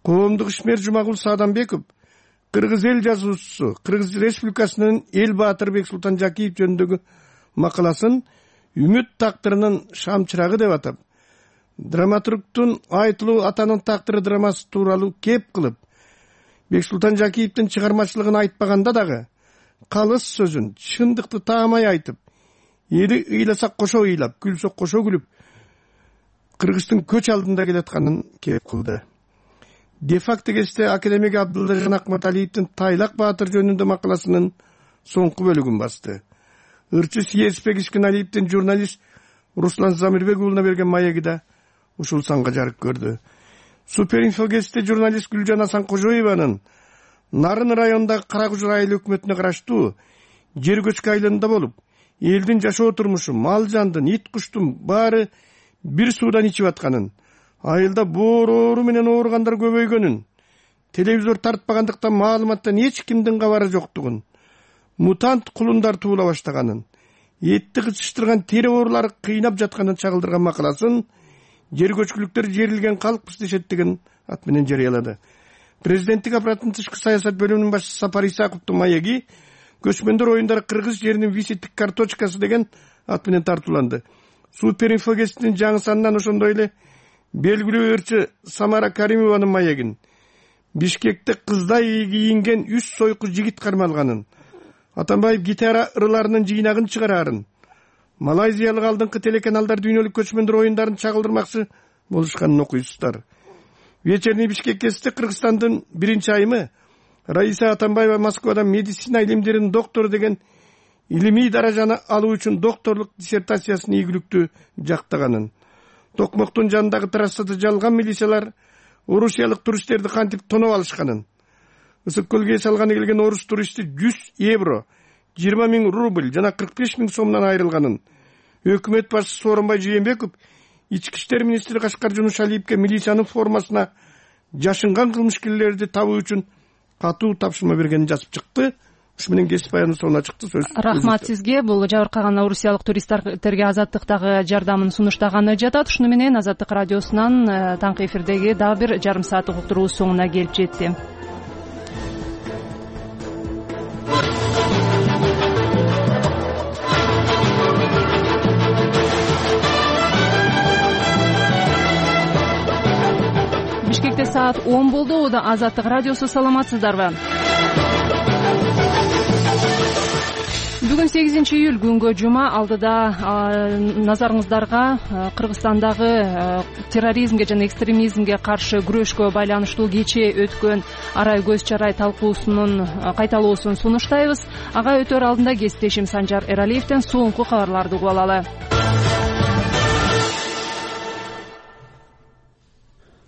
Коомдук ишмер Жумагул Саадамбеков кыргыз эл жазуучусу, Кыргыз Республикасынын эл баатыры Бексултан Жакиев жөнүндөгү макаласын үмүт тактырынын шамчырагы деп атап, драматургтун айтылуу атанын тактыры драмасы тууралуу кеп кылып, Бексултан Жакиевдин чыгармачылыгын айтпаганда дагы калыс сөзүн чындыкты таамай айтып, эли ыйласа кошо ыйлап, күлсө кошо күлүп, Кыргыздын көч алдында келатканын кеп кылды. Де-факто кесте академик Абдылдажан Акматалиевдин Тайлак Баатыр жөнүндө макаласынын соңку бөлүгүн басты. Ырчы Сиеспек Искеналиевдин журналист Руслан Замирбек уулуна берген маеги да ушул санга жарык көрдү. Суперинфо кесте журналист Гүлжан Асан Кожоеванын Нарын районундагы Каракужур айыл өкмөтүнө караштуу жер көчкү айылында болуп, элдин жашоо турмушу, мал жандын, ит куштун баары бир суудан ичип атканын, айылда боору менен ооругандар көбөйгөнүн, телевизор тартпагандыктан маалыматтан эч кимдин кабары жоктугун, мутант кулундар туула баштаганын, этти кычыштырган тери оорулары кыйнап жатканын чагылдырган макаласын жер көчкүлүктөр жерилген калкпыз дешет деген ат менен жарыялады. Президенттик аппараттын тышкы саясат бөлүмүнүн башчысы Сапар Исаковдун маеги көчмөндөр оюндары кыргыз жеринин визиттик карточкасы деген ат менен тартууланды. Суперинфо гезитинин жаңы санынан ошондой эле белгилүү ырчы Самара Каримованын маегин Бишкекте кыздай кийинген үч сойку жигит кармалганын, Атамбаев гитара ырыларынын жыйнагын чыгарарын, малайзиялык алдыңкы телеканалдар дүйнөлүк көчмөндөр оюндарын чагылдырмакчы болушканын окуйсуздар. Вечерний Бишкекте Кыргызстандын биринчи айымы Раиса Атамбаева Москвадан медицина илимдеринин доктору деген илимий даражаны алуу үчүн докторлук диссертациясын ийгиликтүү жактаганын, Токмоктун жанындагы трассада жалган милициялар орусиялык туристтерди кантип тоноп алышканын, Ысык көлгө салганы келген орус туристи жүз евро, жыйырма миң рубль жана кырк беш миң сомдон айрылганын, өкмөт башчысы Сооронбай Жээнбеков ички иштер министри Кашкар Жунушалиевке милициянын формасына жашынган кылмышкерлерди табуу үчүн катуу тапшырма бергенин жазып чыкты. Ушу менен кесип аянын соңуна чыкты. Сөз. Рахмат сизге. Бул жабыркаган орусиялык туристтерге Азаттыктагы жардамын сунуштаганы жатат. Ушуну менен Азаттык радиосунан таңкы эфирдеги дагы бир жарым сааттык уктуруу соңуна келип жетти. Бишкекте саат он болду. Ода Азаттык радиосу. Саламатсыздарбы? Бүгүн сегизинчи июль күнгө жума. Алдыда назарыңыздарга Кыргызстандагы терроризмге жана экстремизмге каршы күрөшкө байланыштуу кечээ өткөн арай көз чарай талкуусунун кайталоосун сунуштайбыз. Ага өтөр алдында кесиптешим Санжар Эралиевден соңку кабарларды угуп алалы.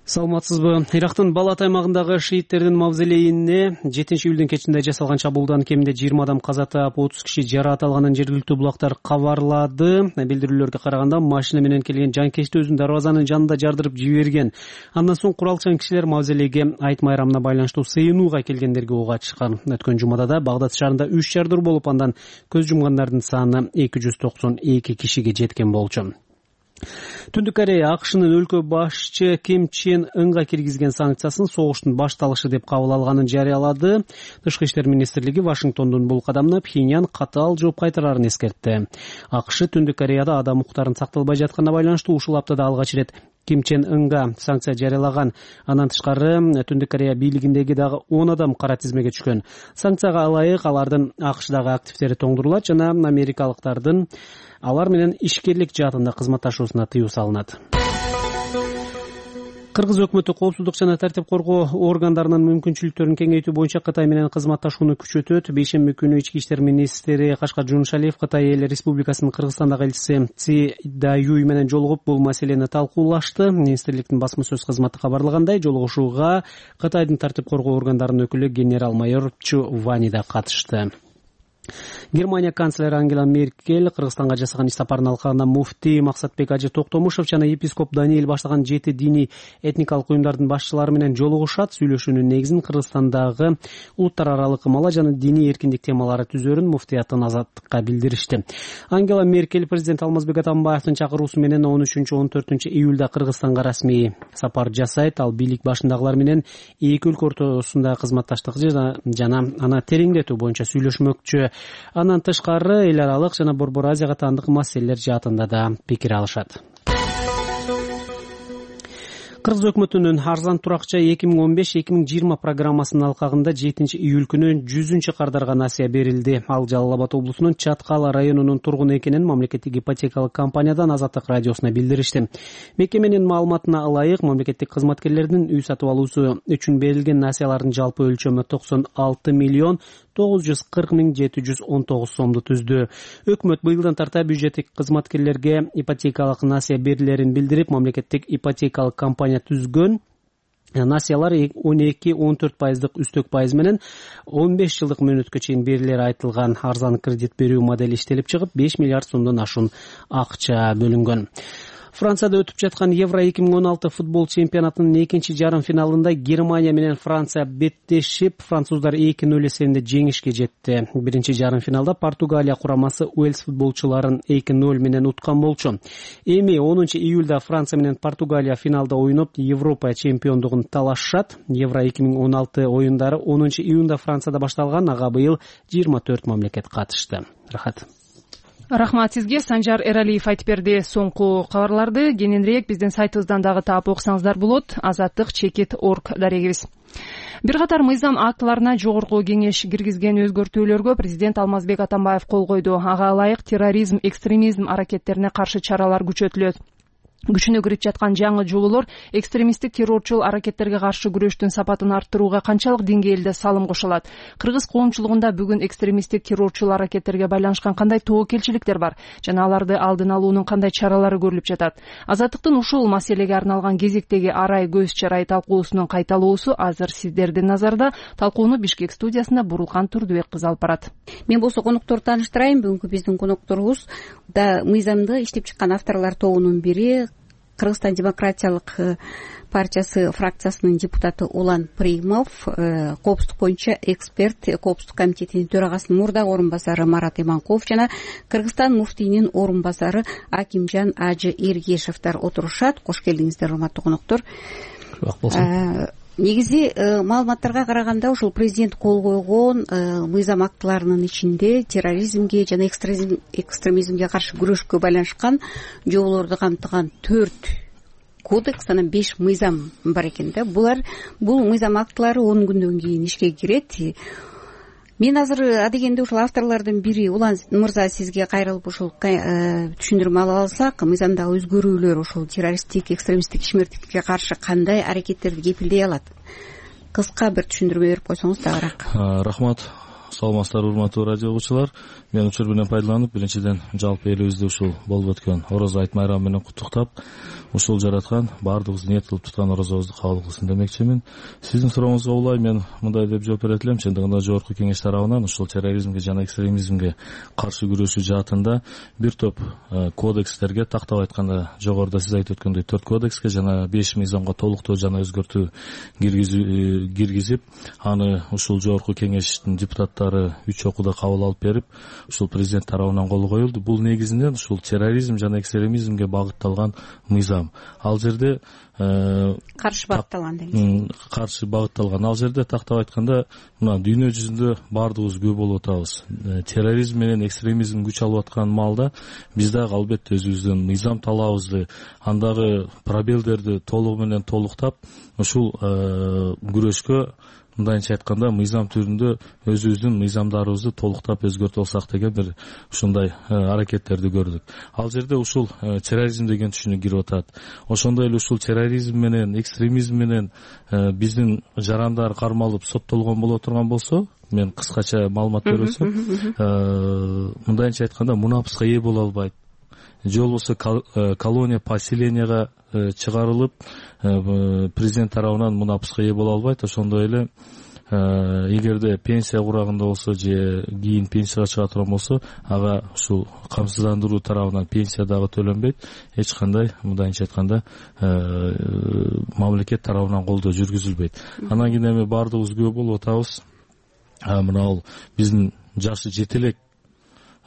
Саламатсызбы? Ирактын Балат аймагындагы шииттердин мавзолейине жетинчи июлдун кечинде жасалган чабуулдан кеминде жыйырма адам каза таап, отуз киши жараат алганын жергиликтүү булактар кабарлады. Билдирүүлөргө караганда машина менен келген жанкечти өзүн дарбазанын жанында жардырып жиберген. Андан соң куралчан кишилер мавзолейге айт майрамына байланыштуу сыйынууга келгендерге ок ачышкан. Өткөн жумада да Багдад шаарында үч жардыр болуп, андан көз жумгандардын саны эки жүз токсон эки кишиге жеткен болчу. Түндүк Корея АКШнын өлкө башчы Ким Чен Ынга киргизген санкциясын согуштун башталышы деп кабыл алганын жарыялады. Тышкы иштер министрлиги Вашингтондун бул кадамына Пхеньян катаал жооп кайтарарын эскертти. АКШ Түндүк Кореяда адам укуктарынын сакталбай жатканына байланыштуу ушул аптада алгач ирет Ким Чен Ынга санкция жарыялаган. Андан тышкары Түндүк Корея бийлигиндеги дагы он адам кара тизмеге түшкөн. Санкцияга ылайык алардын АКШдагы активдери тоңдурулат жана америкалыктардын алар менен ишкерлик жаатында кызматташуусуна тыюу салынат. Кыргыз өкмөтү коопсуздук жана тартип коргоо органдарынын мүмкүнчүлүктөрүн кеңейтүү боюнча Кытай менен кызматташууну күчөтөт. Бейшемби күнү ички иштер министри Кашкар Жунушалиев Кытай эл республикасынын Кыргызстандагы элчиси Ци Даюй менен жолугуп бул маселени талкуулашты. Министрликтин басма сөз кызматы кабарлагандай, жолугушууга Кытайдын тартип коргоо органдарынын өкүлү генерал-майор Чу Вани да катышты. Германия канцлери Ангела Меркель Кыргызстанга жасаган иш сапарынын алкагында муфтий Максатбек Ажы Токтомушев жана епископ Даниэль баштаган жети диний этникалык уюмдардын башчылары менен жолугушат. Сүйлөшүүнүн негизин Кыргызстандагы улуттар аралык мала жана диний эркиндик темалары түзөрүн муфтияттын Азаттыкка билдиришти. Ангела Меркель президент Алмазбек Атамбаевдин чакыруусу менен он үчүнчү он төртүнчү июлда Кыргызстанга расмий сапар жасайт. Ал бийлик башындагылар менен эки өлкө ортосунда кызматташтык жана аны тереңдетүү боюнча сүйлөшмөкчү. Андан тышкары эл аралык жана Борбор Азияга таандык маселелер жаатында да пикир алышат. Кыргыз өкмөтүнүн арзан туракча эки миң он беш эки миң жыйырма программасынын алкагында жетинчи июль күнү жүзүнчү кардарга насыя берилди. Ал Жалал Абад облусунун Чаткал районунун тургуну экенин мамлекеттик ипотекалык компаниядан Азаттык радиосуна билдиришти. Мекеменин маалыматына ылайык, мамлекеттик кызматкерлердин үй сатып алуусу үчүн берилген насыялардын жалпы өлчөмү токсон алты миллион тогуз жүз кырк миң жети жүз он тогуз сомду түздү. Өкмөт быйылдан тарта бюджеттик кызматкерлерге ипотекалык насыя берилерин билдирип, мамлекеттик ипотекалык компания түзгөн насыялар он эки он төрт пайыздык үстөк пайыз менен он беш жылдык мөөнөткө чейин берилери айтылган арзан кредит берүү модели иштелип чыгып, беш миллиард сомдон ашуун акча бөлүнгөн. Францияда өтүп жаткан Евро эки миң он алты футбол чемпионатынын экинчи жарым финалында Германия менен Франция беттешип, француздар эки ноль эсебинде жеңишке жетти. Биринчи жарым финалда Португалия курамасы Уэльс футболчуларын эки ноль менен уткан болчу. Эми онунчу июлда Франция менен Португалия финалда ойноп, Европа чемпиондугун талашат. Евро эки миң он алты оюндары онунчу июнда Францияда башталган, ага быйыл жыйырма төрт мамлекет катышты. Рахат. Рахмат сизге. Санжар Эралиев айтып берди соңку кабарларды. Кененирээк биздин сайтыбыздан дагы таап окусаңыздар болот. азаттык чекит орг дарегибиз. Бир катар мыйзам актыларына жогорку кеңеш киргизген өзгөртүүлөргө президент Алмазбек Атамбаев кол койду. Ага ылайык терроризм, экстремизм аракеттерине каршы чаралар күчөтүлөт. Күчүнө кирип жаткан жаңы жоболор экстремисттик террорчул аракеттерге каршы күрөштүн сапатын арттырууга канчалык деңгээлде салым кошулат? Кыргыз коомчулугунда бүгүн экстремисттик террорчул аракеттерге байланышкан кандай тобокелчиликтер бар жана аларды алдын алуунун кандай чаралары көрүлүп жатат? Азаттыктын ушул маселеге арналган кезектеги арай көз чарай талкуусунун кайталоосу азыр сиздердин назарда. Талкууну Бишкек студиясында Бурулкан Турдубек кызы алып барат. Мен болсо конокторду тааныштырайын. Бүгүнкү биздин конокторубуз да мыйзамды иштеп чыккан авторлор тобунун бири, Кыргызстан демократиялык партиясы фракциясынын депутаты Улан Примов, коопсуздук боюнча эксперт, коопсуздук комитетинин төрагасынын мурдагы орун басары Марат Иманкулов жана Кыргызстан муфтийинин орун басары Акимжан Ажы Эргешевдер отурушат. Кош келдиңиздер, урматтуу коноктор. Негизи маалыматтарга караганда ушул президент кол койгон мыйзам актыларынын ичинде терроризмге жана экстремизмге каршы күрөшкө байланышкан жоболорду камтыган төрт кодекс, анан беш мыйзам бар экен да. Булар бул мыйзам актылары он күндөн кийин ишке кирет. Мен азыр адегенде ушул авторлордун бири Улан мырза сизге кайрылып ушул түшүндүрмө ала алсак, мыйзамдагы өзгөрүүлөр ушул террористтик, экстремисттик ишмердикке каршы кандай аракеттерди кепилдей алат? Кыска бир түшүндүрмө берип койсоңуз дагыраак. Рахмат. Саламатсыздарбы, урматтуу радио угуучулар. Мен учур менен пайдаланып, биринчиден жалпы элибизди ушул болуп өткөн Орозо айт майрамы менен куттуктап, ушул жараткан баардыгыбыз ниет кылып туткан орозобузду кабыл кылсын демекчимин. Сиздин сурооңузга улай мен мындай деп жооп берет элем. Чындыгында жогорку кеңеш тарабынан ушул терроризмге жана экстремизмге каршы күрөшүү жаатында бир топ кодекстерге, тактап айтканда жогоруда сиз айтып өткөндөй төрт кодекске жана беш мыйзамга толуктоо жана өзгөртүү киргизип, аны ушул жогорку кеңештин депутаттары үч окууда кабыл алып берип, ушул президент тарабынан кол коюлду. Бул негизинен ушул терроризм жана экстремизмге багытталган мыйзам. Ал жерде каршы багытталган деген. Каршы багытталган. Ал жерде тактап айтканда, мына дүйнө жүзүндө баардыгыбыз күбө болуп атабыз. Терроризм менен экстремизм күч алып аткан маалда биз дагы албетте өзүбүздүн мыйзам талабыбызды, андагы пробелдерди толугу менен толуктап, ушул күрөшкө мындайча айтканда мыйзам түрүндө өзүбүздүн мыйзамдарыбызды толуктап өзгөртүп алсак деген бир ушундай аракеттерди көрдүк. Ал жерде ушул терроризм деген түшүнүк кирип атат. Ошондой эле ушул терроризм менен, экстремизм менен биздин жарандар кармалып соттолгон боло турган болсо, мен кыскача маалымат берсем, мындайча айтканда мунапыска ээ боло албайт. Же болбосо колония, поселенияга чыгарылып, президент тарабынан мунапыска ээ боло албайт. Ошондой эле эгерде пенсия курагында болсо же кийин пенсияга чыга турган болсо, ага ушул камсыздандыруу тарабынан пенсия дагы төлөнбөйт. Эч кандай мындайча айтканда мамлекет тарабынан колдоо жүргүзүлбөйт. Анан кийин эми баардыгыбыз күбө болуп атабыз. Мына бул биздин жашы жетелек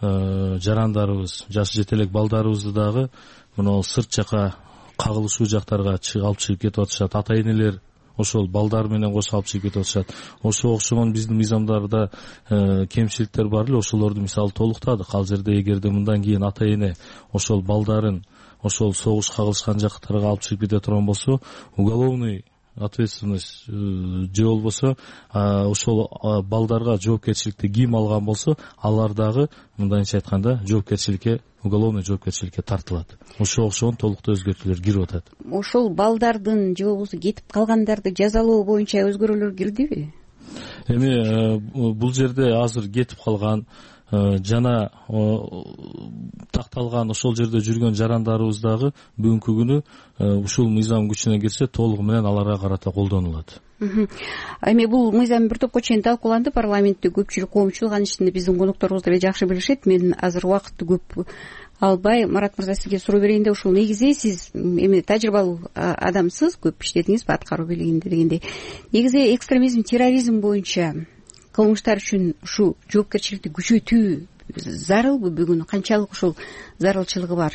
жарандарыбыз, жашы жетелек балдарыбызды дагы мына сырт жака кагылышуу жактарга алып чыгып кетип атышат. Ата энелер ошол балдар менен кошо алып чыгып кетип атышат. Ошо окшогон биздин мыйзамдарда кемчиликтер бар эле, ошолорду мисалы толуктадык. Ал жерде эгерде мындан кийин ата эне ошол балдарын ошол согуш кагылышкан жактарга алып чыгып кете турган болсо, уголовный ответственность же болбосо ошол балдарга жоопкерчиликти ким алган болсо, алар дагы мындайча айтканда жоопкерчиликке, уголовный жоопкерчиликке тартылат. Ошого окшогон толуктуу өзгөртүүлөр кирип атат. Ошол балдардын же болбосо кетип калгандарды жазалоо боюнча өзгөрүүлөр кирдиби? Эми бул жерде азыр кетип калган жана такталган ошол жерде жүргөн жарандарыбыз дагы бүгүнкү күнү ушул мыйзам күчүнө кирсе толугу менен аларга карата колдонулат. Эми бул мыйзам бир топко чейин талкууланды парламентте, көпчүлүк коомчулук, анын ичинде биздин конокторубуз деле жакшы билишет. Мен азыр убакытты көп албай, Марат мырза сизге суроо берейин да, ушул негизи сиз эми тажрыйбалуу адамсыз, көп иштедиңиз аткаруу бийлигинде дегендей. Негизи экстремизм, терроризм боюнча кылмыштар үчүн ушу жоопкерчиликти күчөтүү зарылбы бүгүн? Канчалык ушул зарылчылыгы бар?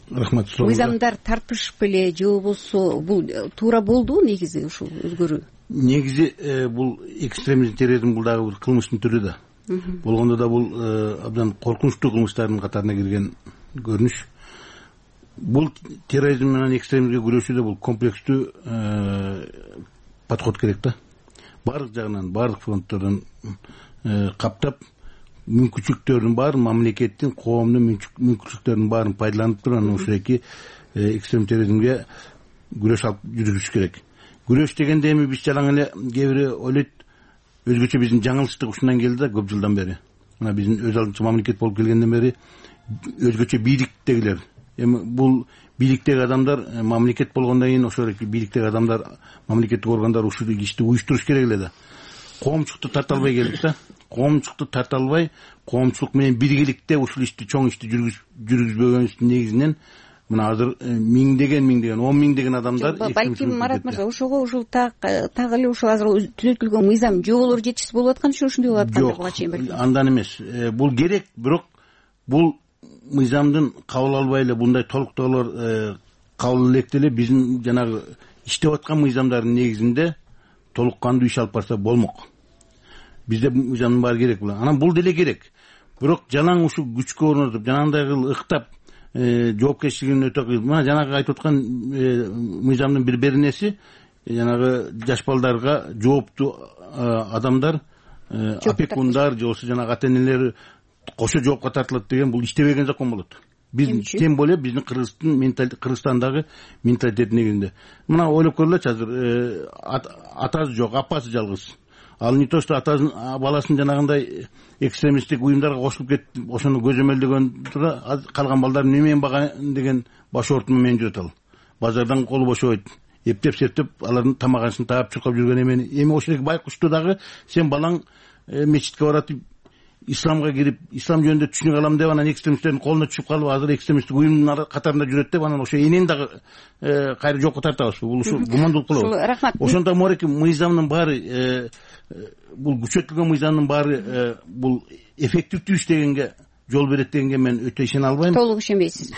Рахмат. Мыйзамдар тартышпы эле же болбосо бул туура болдубу негизи ушул өзгөрүү? Негизи бул экстремизм, терроризм бул дагы бир кылмыштын түрү да. болгондо да бул абдан коркунучтуу кылмыштардын катарына кирген көрүнүш. Бул терроризм менен экстремизмге күрөшүүдө бул комплекстүү подход керек да. Баардык жагынан, баардык фронттордон каптап, мүмкүнчүлүктөрдүн баарын, мамлекеттин, коомдун мүмкүнчүлүктөрүнүн баарын пайдаланып туруп, анан ушундайки экстрем терроризмге күрөш алып жүргүзүш керек. Күрөш дегенде эми биз жалаң эле кээ бири ойлойт, өзгөчө биздин жаңылыштык ушундан келди да көп жылдан бери. Мына биздин өз алдынча мамлекет болуп келгенден бери өзгөчө бийликтегилер. Эми бул бийликтеги адамдар мамлекет болгондон кийин ошол бийликтеги адамдар, мамлекеттик органдар ушул ишти уюштуруш керек эле да. Коомчулукту тарта албай келдик да. Коомчулукту тарта албай, коомчулук менен биргеликте ушул ишти, чоң ишти жүргүзбөгөнүбүздүн негизинен мына азыр миңдеген миңдеген он миңдеген адамдар. Балким Марат мырза, ошого ушул так эле ушул азыр түзөтүлгөн мыйзам жоболор жетишсиз болуп аткан үчүн ушундай болуп аткан буга чейин белгилүү. Андан эмес. Бул керек, бирок бул мыйзамдын кабыл албай эле мындай толуктоолор кабыл электе эле биздин жанагы иштеп аткан мыйзамдардын негизинде толук кандуу иш алып барса болмок. Бизде мыйзамдын баары керек булар. Анан бул деле керек. Бирок жалаң ушул күчкө орнотуп, жанагындай кылып ыктап жоопкерчилигин өтө кыйын. Мына жанагы айтып аткан мыйзамдын бир беренеси жанагы жаш балдарга жооптуу адамдар, опекундар же болбосо жанагы ата-энелери кошо жоопко тартылат деген бул иштебеген закон болот. Биз тем более биздин Кыргыздын менталитети, Кыргызстандагы менталитет негизинде. Мына ойлоп көргүлөчү, азыр атасы жок, апасы жалгыз. Ал не то что атасын, баласын жанагындай экстремисттик уюмдарга кошулуп кетип, ошону көзөмөлдөгөн тура калган балдар немен баган деген баш оорутуу менен жүрөт ал. Базардан колу бошобойт. Эптеп-септеп алардын тамагашын таап чуркап жүргөн эмени. Эми ошол байкушту дагы сен балаң мечитке барат, исламга кирип, ислам жөнүндө түшүнүк алам деп анан экстремисттердин колуна түшүп калып, азыр экстремисттик уюмдун катарында жүрөт деп анан ошо энени дагы кайра жокко тартабызбы? Бул ушул гумандуулук болобу? Ошондо мореки мыйзамдын баары, бул күчөтүлгөн мыйзамдын баары бул эффективдүү иштегенге жол берет дегенге мен өтө ишене албайм. Толук ишенбейсиз.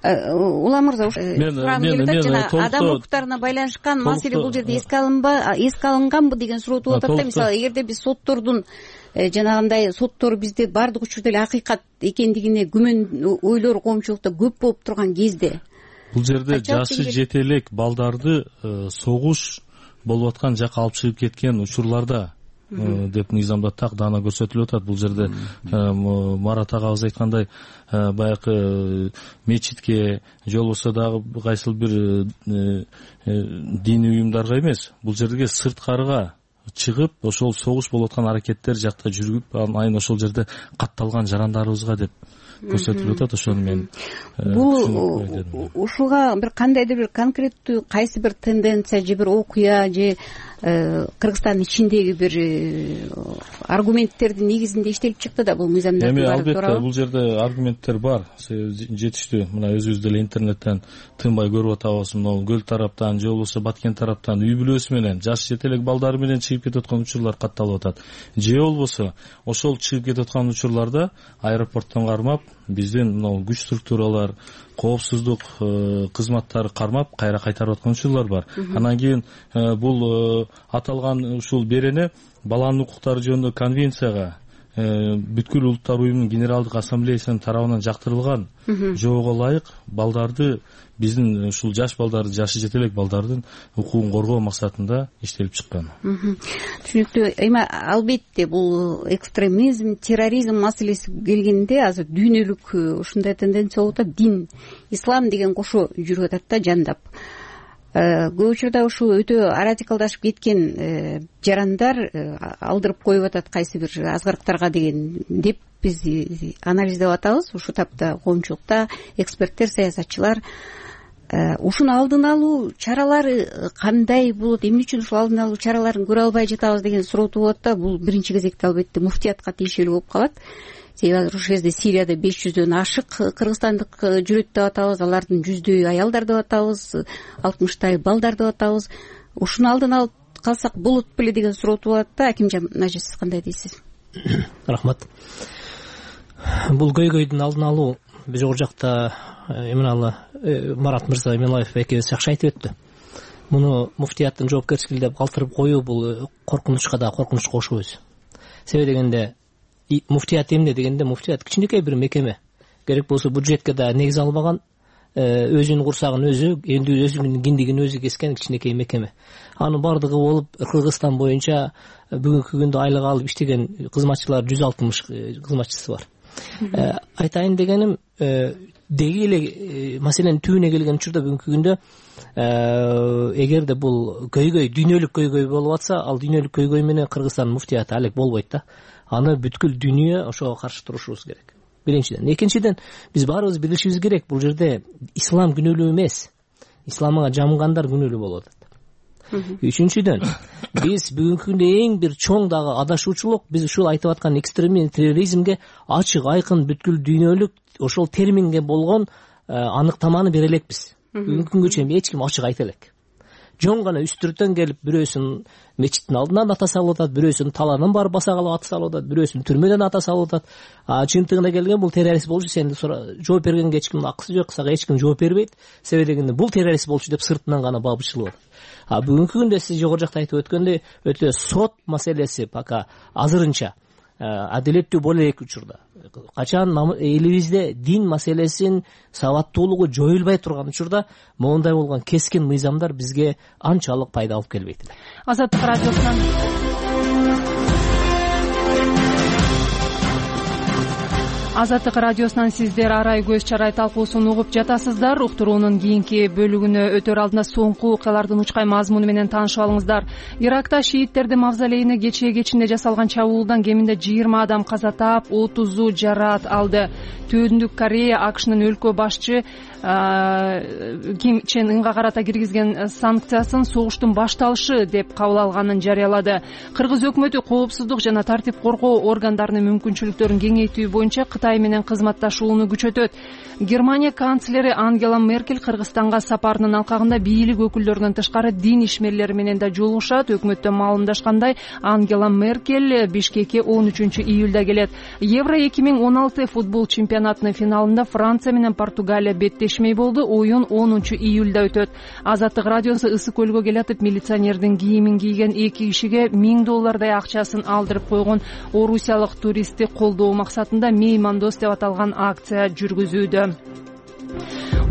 Улам мырза, жана адам укуктарына байланышкан маселе бул жерде эске алынба, эске алынганбы деген суроо тууп атат да. Мисалы, эгерде биз соттордун жанагындай соттор бизде баардык учурда эле акыйкат экендигине күмөн ойлор коомчулукта көп болуп турган кезде бул жерде жашы жете элек балдарды согуш болуп аткан жака алып чыгып кеткен учурларда деп мыйзамда так даана көрсөтүлүп атат. Бул жерде Марат агабыз айткандай баягы мечитке же болбосо дагы кайсыл бир диний уюмдарга эмес, бул жерге сырткарыга чыгып ошол согуш болуп аткан аракеттер жакта жүрүп, айын ошол жерде катталган жарандарыбызга деп көрсөтүлүп атат. Ошону мен бул ушуга бир кандайдыр бир конкреттүү кайсы бир тенденция же бир окуя же Кыргызстандын ичиндеги бир аргументтердин негизинде иштелип чыкты да бул мыйзамдар. Эми албетте бул жерде аргументтер бар, жетиштүү. Мына өзүбүз деле интернеттен тынбай көрүп атабыз. Мына көл тараптан же болбосо Баткен тараптан үй бүлөсү менен жаш жете элек балдары менен чыгып кетип аткан учурлар катталып атат. Же болбосо ошол чыгып кетип аткан учурларда аэропорттон кармап, биздин мына күч структуралар, коопсуздук кызматтары кармап кайра кайтарып аткан учурлар бар. Анан кийин бул аталган ушул берене баланын укуктары жөнүндө конвенцияга бүткүл улуттар уюмунун генералдык ассамблеясынын тарабынан жактырылган жоого ылайык балдарды, биздин ушул жаш балдарды, жашы жете элек балдардын укугун коргоо максатында иштелип чыккан. Түшүнүктүү. Эми албетте бул экстремизм, терроризм маселеси келгенде азыр дүйнөлүк ушундай тенденция болуп атат. Дин, ислам деген кошо жүрүп атат да, жандап. Көп учурда ушул өтө радикалдашып кеткен жарандар алдырып коюп атат кайсы бир азгарыктарга деген деп биз анализдеп атабыз. Ушул тапта коомчулукта эксперттер, саясатчылар ушуну алдын алуу чаралары кандай болот, эмне үчүн ушул алдын алуу чараларын көрө албай жатабыз деген суроо тууп атат да. Бул биринчи кезекте албетте муфтиятка тиешелүү болуп калат. Себеби азыр ушул кезде Сирияда беш жүздөн ашык кыргызстандык жүрөт деп атабыз, алардын жүздөйү аялдар деп атабыз, алтымыштай балдар деп атабыз. Ушуну алдын алып калсак болот беле деген суроо тууп атат да. Акимжан Нажи, сиз кандай дейсиз? Рахмат. Бул көйгөйдүн алдын алуу жогору жакта эмне Марат мырза Эмелаев экөөбүз жакшы айтып өттү. Муну муфтияттын жоопкерчилиги деп калтырып коюу бул коркунучка да коркунуч кошуу өзү. Себеби дегенде муфтият эмне дегенде, муфтият кичинекей бир мекеме, керек болсо бюджетке да негиз албаган, өзүнүн курсагын өзү, энд өзүнүн киндигин өзү кескен кичинекей мекеме. Анын бардыгы болуп Кыргызстан боюнча бүгүнкү күндө айлык алып иштеген кызматчылар жүз алтымыш кызматчысы бар. Айтайын дегеним, деги эле маселенин түбүнө келген учурда бүгүнкү күндө эгерде бул көйгөй, дүйнөлүк көйгөй болуп атса, ал дүйнөлүк көйгөй менен Кыргызстандын муфтияты алек болбойт да. Аны бүткүл дүйнө ошого каршы турушубуз керек. Биринчиден. Экинчиден, биз баарыбыз билишибиз керек, бул жерде ислам күнөөлүү эмес, исламга жамгандар күнөөлүү болуп атат. Үчүнчүдөн, биз бүгүнкү күндө эң бир чоң дагы адашуучулук, биз ушул айтып аткан экстремизм, терроризмге ачык, айкын бүткүл дүйнөлүк ошол терминге болгон аныктаманы бере элекпиз. Бүгүнкү күнгө чейин эч ким ачык айта элек. Жон гана үстүртөн келип, бирөөсүн мечиттин алдынан ата салып атат, бирөөсүн таланын барып баса калып ата салып атат, бирөөсүн түрмөдөн ата салып атат. А чындыгына келген бул террорист болчу, сен жооп бергенге эч кимдин акысы жок, сага эч ким жооп бербейт. Себеби дегенде бул террорист болчу деп сыртынан гана бабычылып атат. А бүгүнкү күндө сиз жогору жакта айтып өткөндөй, өтө сот маселеси пока азырынча адилеттүү боло элек учурда. Качан элибизде дин маселесин сабаттуулугу жоюлбай турган учурда моундай болгон кескин мыйзамдар бизге анчалык пайда алып келбейт эле. Азаттык радиосунан Азаттык радиосунан сиздер арай көз чарай талкуусун угуп жатасыздар. Уктуруунун кийинки бөлүгүнө өтөр алдында соңку окуялардын учкай мазмуну менен таанышып алыңыздар. Иракта шииттердин мавзолейине кечээ кечинде жасалган чабуулдан кеминде жыйырма адам каза таап, отузу жараат алды. Түндүк Корея АКШнын өлкө башчы Ким Чен Ынга карата киргизген санкциясын согуштун башталышы деп кабыл алганын жарыялады. Кыргыз өкмөтү коопсуздук жана тартип коргоо органдарынын мүмкүнчүлүктөрүн кеңейтүү боюнча Кытай менен кызматташууну күчөтөт. Германия канцлери Ангела Меркель Кыргызстанга сапарынын алкагында бийлик өкүлдөрүнөн тышкары дин ишмерлери менен да жолугушат. Өкмөттөн маалымдашкандай, Ангела Меркель Бишкекке он үчүнчү июлда келет. Евро эки миң он алты футбол чемпионатынын финалында Франция менен Португалия беттешмей болду. Оюн онунчу июлда өтөт. Азаттык радиосу Ысык көлгө келатып, милиционердин кийимин кийген эки кишиге миң доллардай акчасын алдырып койгон орусиялык туристти колдоо максатында меймандос деп аталган акция жүргүзүүдө.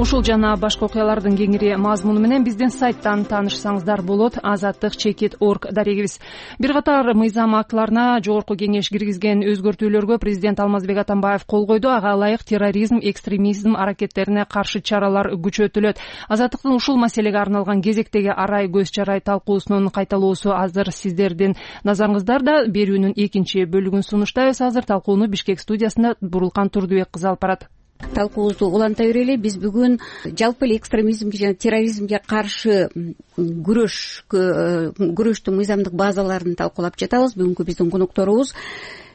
Ушул жана башка окуялардын кеңири мазмуну менен биздин сайттан таанышсаңыздар болот. азаттык чекит точка орг дарегибиз. Бир катар мыйзам актыларына жогорку кеңеш киргизген өзгөртүүлөргө президент Алмазбек Атамбаев кол койду. Ага ылайык терроризм, экстремизм аракеттерине каршы чаралар күчөтүлөт. Азаттыктын ушул маселеге арналган кезектеги арай көз чарай талкуусунун кайталоосу азыр сиздердин назарыңыздарда. Берүүнүн экинчи бөлүгүн сунуштайбыз. Азыр талкууну Бишкек студиясында Бурулкан Турдубек кызы алып барат. Талкуубузду уланта берели. Биз бүгүн жалпы эле экстремизмге жана терроризмге каршы күрөш күрөштүн мыйзамдык базаларын талкуулап жатабыз. Бүгүнкү биздин конокторубуз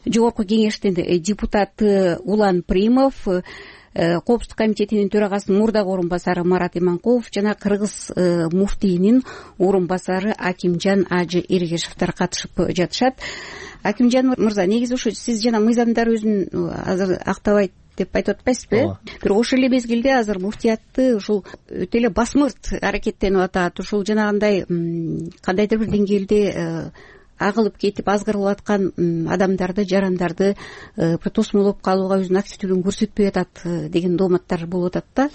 жогорку кеңештин депутаты Улан Примов, Коопсуздук комитетинин төрагасынын мурдагы орун басары Марат Иманкулов жана Кыргыз муфтийинин орун басары Акимжан Ажы Эргешевдер катышып жатышат. Акимжан мырза, негизи ушу сиз жана мыйзамдар өзүн азыр актабайт деп айтып атпайсызбы? Бирок ошол эле мезгилде азыр муфтиятты ушул өтө эле басмырт аракеттенип атат. Ушул жанагындай кандайдыр бир деңгээлде агылып кетип азгырылып аткан адамдарды, жарандарды тосмолоп калууга өзүнүн активдүүлүгүн көрсөтпөй атат деген дооматтар болуп атат да.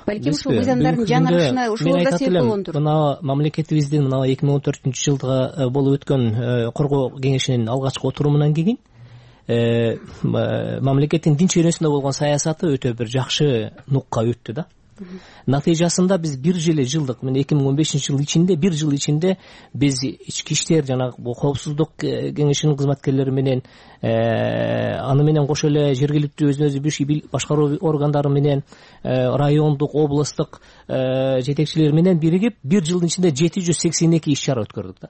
Балким ушул мыйзамдардын жаңырышына ушул да себеп болгондур. Мына мамлекетибиздин мына эки миң он төртүнчү жылдагы болуп өткөн коргоо кеңешинин алгачкы отурумунан кийин мамлекеттин дин чөйрөсүндө болгон саясаты өтө бир жакшы нукка өттү да. Натыйжасында биз бир жыл жылдык мына эки миң он бешинчи жыл ичинде бир жыл ичинде биз ички иштер жана коопсуздук кеңешинин кызматкерлери менен аны менен кошо эле жергиликтүү өзүн өзү башкаруу органдары менен райондук, областтык жетекчилер менен биригип бир жылдын ичинде жети жүз сексен эки иш чара өткөрдүк да.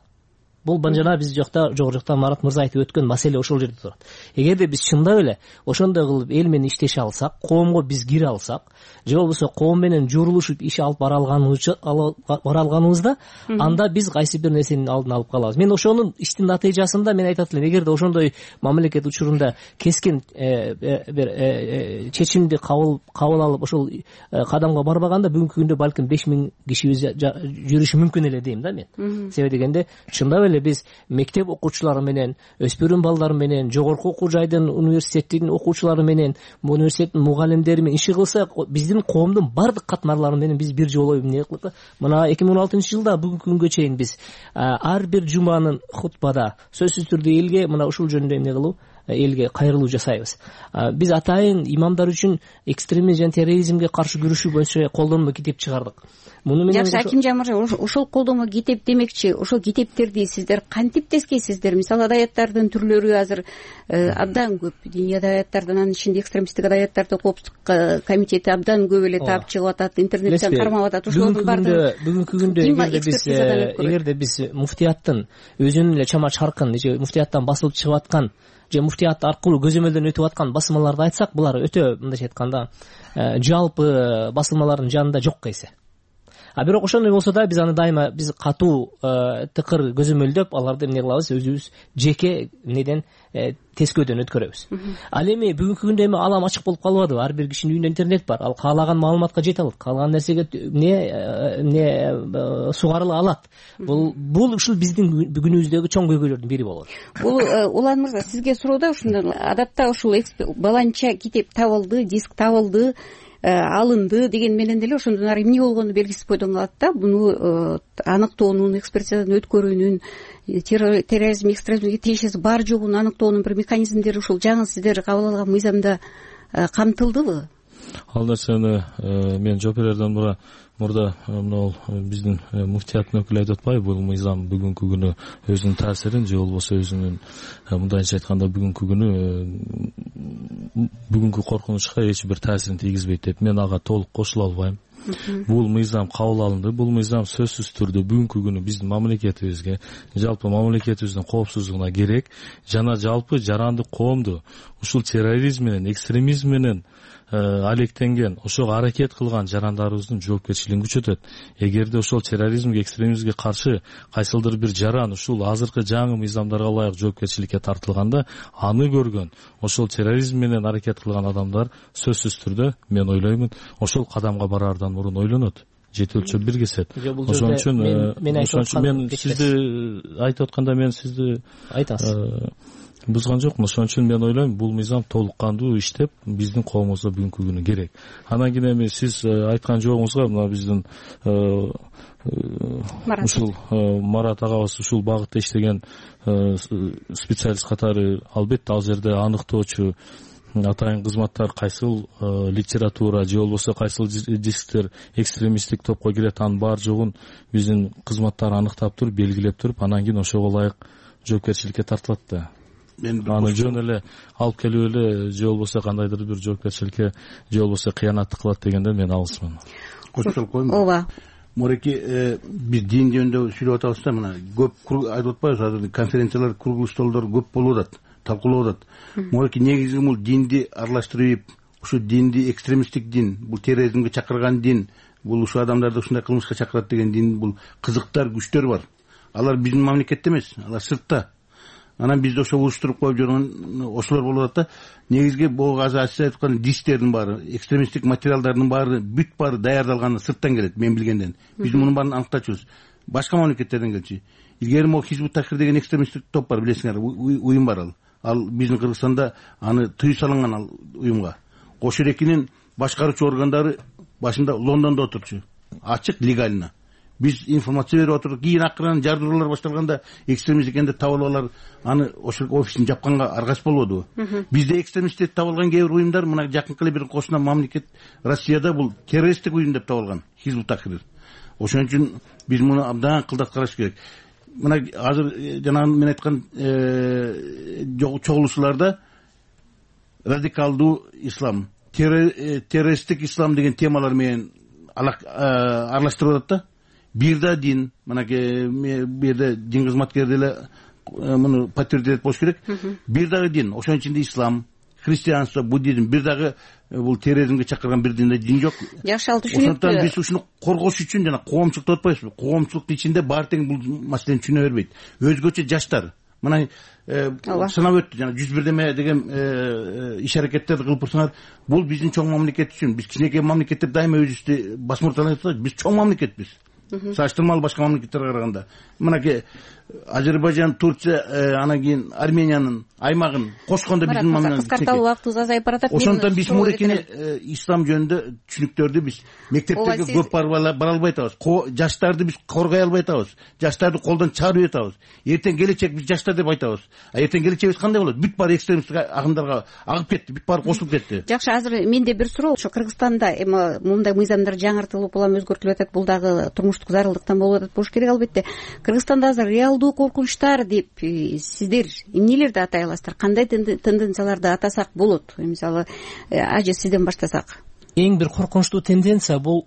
Бул жана биз жакта жогору жакта Марат мырза айтып өткөн маселе ошол жерде турат. Эгерде биз чындап эле ошондой кылып эл менен иштеше алсак, коомго биз кире алсак, же болбосо коом менен журулушуп иш алып бара алганыбызда, анда биз кайсы бир нерсенин алдын алып калабыз. Мен ошонун иштин натыйжасында мен айтат элем, эгерде ошондой мамлекет учурунда кескин бир чечимди кабыл алып ошол кадамга барбаганда бүгүнкү күндө балким беш миң кишибиз жүрүшү мүмкүн эле дейм да мен. Себеби дегенде чындап эле эле биз мектеп окуучулары менен, өспүрүм балдар менен, жогорку окуу жайдын, университеттин окуучулары менен, университеттин мугалимдери менен иши кылсак, биздин коомдун бардык катмарлары менен биз бир жолу эмне кылдык. Мына эки миң он алтынчы жылда бүгүнкү күнгө чейин биз ар бир жуманын хутбада сөзсүз түрдө элге мына ушул жөнүндө эмне кылуу, элге кайрылуу жасайбыз. Биз атайын имамдар үчүн экстремизм жана терроризмге каршы күрөшүү боюнча колдонмо китеп чыгардык. Муну менен жакшы, Акимжан мырза, ошол колдонмо китеп демекчи, ошол китептерди сиздер кантип тескейсиздер? Мисалы, адаяттардын түрлөрү азыр абдан көп. Диний адаяттардан, анын ичинде экстремисттик адаяттарды коопсуздук комитети абдан көп эле таап чыгып атат, интернеттен кармап атат. Ошолордун баардыгы бүгүнкү күндө эгерде биз эгерде биз муфтияттын өзүнүн эле чама чаркын, же муфтияттан басылып чыгып аткан, же муфтият аркылуу көзөмөлдөн өтүп аткан басылмаларды айтсак, булар өтө, мындайча айтканда, жалпы басылмалардын жанында жок эсе. А бирок ошондой болсо да биз аны дайыма биз катуу тыкыр көзөмөлдөп, аларды эмне кылабыз, өзүбүз жеке эмнеден тескөөдөн өткөрөбүз. Ал эми бүгүнкү күндө эми алам ачык болуп калбадыбы? Ар бир кишинин үйүндө интернет бар. Ал каалаган маалыматка жете алат, каалаган нерсеге эмне эмне сугарыла алат. Бул бул ушул биздин бүгүнүбүздөгү чоң көйгөйлөрдүн бири болот. Бул Улан мырза, сизге суроо ушундай. Адатта ушул баланча китеп табылды, диск табылды, алынды деген менен деле ошондон ары эмне болгону белгисиз бойдон калат да. Буну аныктоонун, экспертизадан өткөрүүнүн, терроризм, экстремизмге тиешеси бар жогун аныктоонун бир механизмдери ушул жаңы сиздер кабыл алган мыйзамда камтылдыбы? Ал нерсени мен жооп берерден мурда мурда мына биздин муфтияттын өкүлү айтып атпайбы, бул мыйзам бүгүнкү күнү өзүнүн таасирин же болбосо өзүнүн, мындайча айтканда, бүгүнкү күнү бүгүнкү коркунучка эч бир таасирин тийгизбейт деп. Мен ага толук кошула албайм. Бул мыйзам кабыл алынды. Бул мыйзам сөзсүз түрдө бүгүнкү күнү биздин мамлекетибизге, жалпы мамлекетибиздин коопсуздугуна керек, жана жалпы жарандык коомду ушул терроризм менен, экстремизм менен алектенген, ошого аракет кылган жарандарыбыздын жоопкерчилигин күчөтөт. Эгерде ошол терроризмге, экстремизмге каршы кайсылдыр бир жаран ушул азыркы жаңы мыйзамдарга ылайык жоопкерчиликке тартылганда, аны көргөн, ошол терроризм менен аракет кылган адамдар сөзсүз түрдө, мен ойлоймун, ошол кадамга бараардан мурун ойлонот. Жети өлчөп бир кесет. Ошон үчүн мен сизди айтып атканда мен сизди айтасыз. Бузган жокмун. Ошон үчүн мен ойлойм, бул мыйзам толук кандуу иштеп, биздин коомубузга бүгүнкү күнү керек. Анан кийин эми сиз айткан жообуңузга мына биздин ушул Марат агабыз ушул багытта иштеген специалист катары, албетте ал жерде аныктоочу атайын кызматтар, кайсыл литература же болбосо кайсыл дисктер экстремисттик топко кирет, анын бар жогун биздин кызматтар аныктап туруп, белгилеп туруп, анан кийин ошого ылайык жоопкерчиликке тартылат да. Аны жөн эле алып келип эле же болбосо кандайдыр бир жоопкерчиликке же болбосо кыянаттык кылат дегенде мен алысмын. Кошуп коеюнбу? Ооба. Мореки, биз дин жөнүндө сүйлөп атабыз да, мына көп айтып атпайбыз, азыр конференциялар, круглый столдор көп болуп атат, талкуулап атат. Мореки, негизи бул динди аралаштырып, ушу динди экстремисттик дин, бул терроризмге чакырган дин, бул ушу адамдарды ушундай кылмышка чакырат деген дин, бул кызыктар, күчтөр бар. Алар биздин мамлекетте эмес, алар сыртта. Анан бизде ошо уюштуруп коюп жүргөн ошолор болуп атат да. Негизги бул азыр сиз айткан дистердин баары, экстремисттик материалдардын баары, бүт баары даярдалганы сырттан келет, мен билгенден. Биз мунун баарын аныктачубуз. Башка мамлекеттерден келчү. Илгери могу Хизбут Тахрир деген экстремисттик топ бар, билесиңер, уюм бар ал. Ал биздин Кыргызстанда аны тыюу салынган ал уюмга. Кошерекинин башкаруучу органдары башында Лондондо отурчу. Ачык, легально. Биз информация берип отурдук. Кийин акырын жардыруулар башталганда экстремист экенди табылалар, аны ошол офисин жапканга аргасыз болбодубу? Бизде экстремисттер табылган кээ бир уюмдар, мына жакынкы эле бир кошуна мамлекет Россияда бул террористтик уюм деп табылган, Хизбут Тахрир. Ошон үчүн биз муну абдан кылдат караш керек. Мына азыр жанагы мен айткан чогулушларда радикалдуу ислам, террористтик ислам деген темалар менен аралаштырып атат да. Бир да дин, мынакей бу жерде дин кызматкери деле муну подтвердировать болуш керек. Бир дагы дин, ошонун ичинде ислам, христианство, буддизм, бир дагы бул терроризмге чакырган бир дин дин жок. Жакшы, ал түшүнүктүү. Ошондуктан биз ушуну коргош үчүн жана коомчулук деп атпайбызбы? Коомчулуктун ичинде баары тең бул маселени түшүнө бербейт. Өзгөчө жаштар. Мына санап өттү, жана жүз бирдеме деген иш аракеттерди кылып турсаңар, бул биздин чоң мамлекет үчүн. Биз кичинекей мамлекеттер дайыма өзүбүздү басмырталап атабыз. Биз чоң мамлекетпиз. Саштырмалуу башка мамлекеттерге караганда. Мынакей Азербайжан, Турция, анан кийин Армениянын аймагын кошкондо биздин мамлекет кыскарталуу убактыбыз азайып баратат. Ошондон биз мурекени ислам жөнүндө түшүнүктөрдү биз мектептерге көп бара албай атабыз. Жаштарды биз коргой албай атабыз. Жаштарды колдон чыгарып атабыз. Эртең келечек биз жаштар деп айтабыз. А эртең келечегибиз кандай болот? Бүт баары экстремисттик агымдарга агып кетти, бүт баары кошулуп кетти. Жакшы, азыр менде бир суроо. Ошо Кыргызстанда эми мындай мыйзамдар жаңыртылып, улам өзгөртүлүп атат. Бул дагы турмуштук зарылдыктан болуп атат болуш керек албетте. Кыргызстанда азыр реалдуу коркунучтар деп сиздер эмнелерди атай аласыздар? Кандай тенденцияларды атасак болот? Мисалы, ажы сизден баштасак. Эң бир коркунучтуу тенденция бул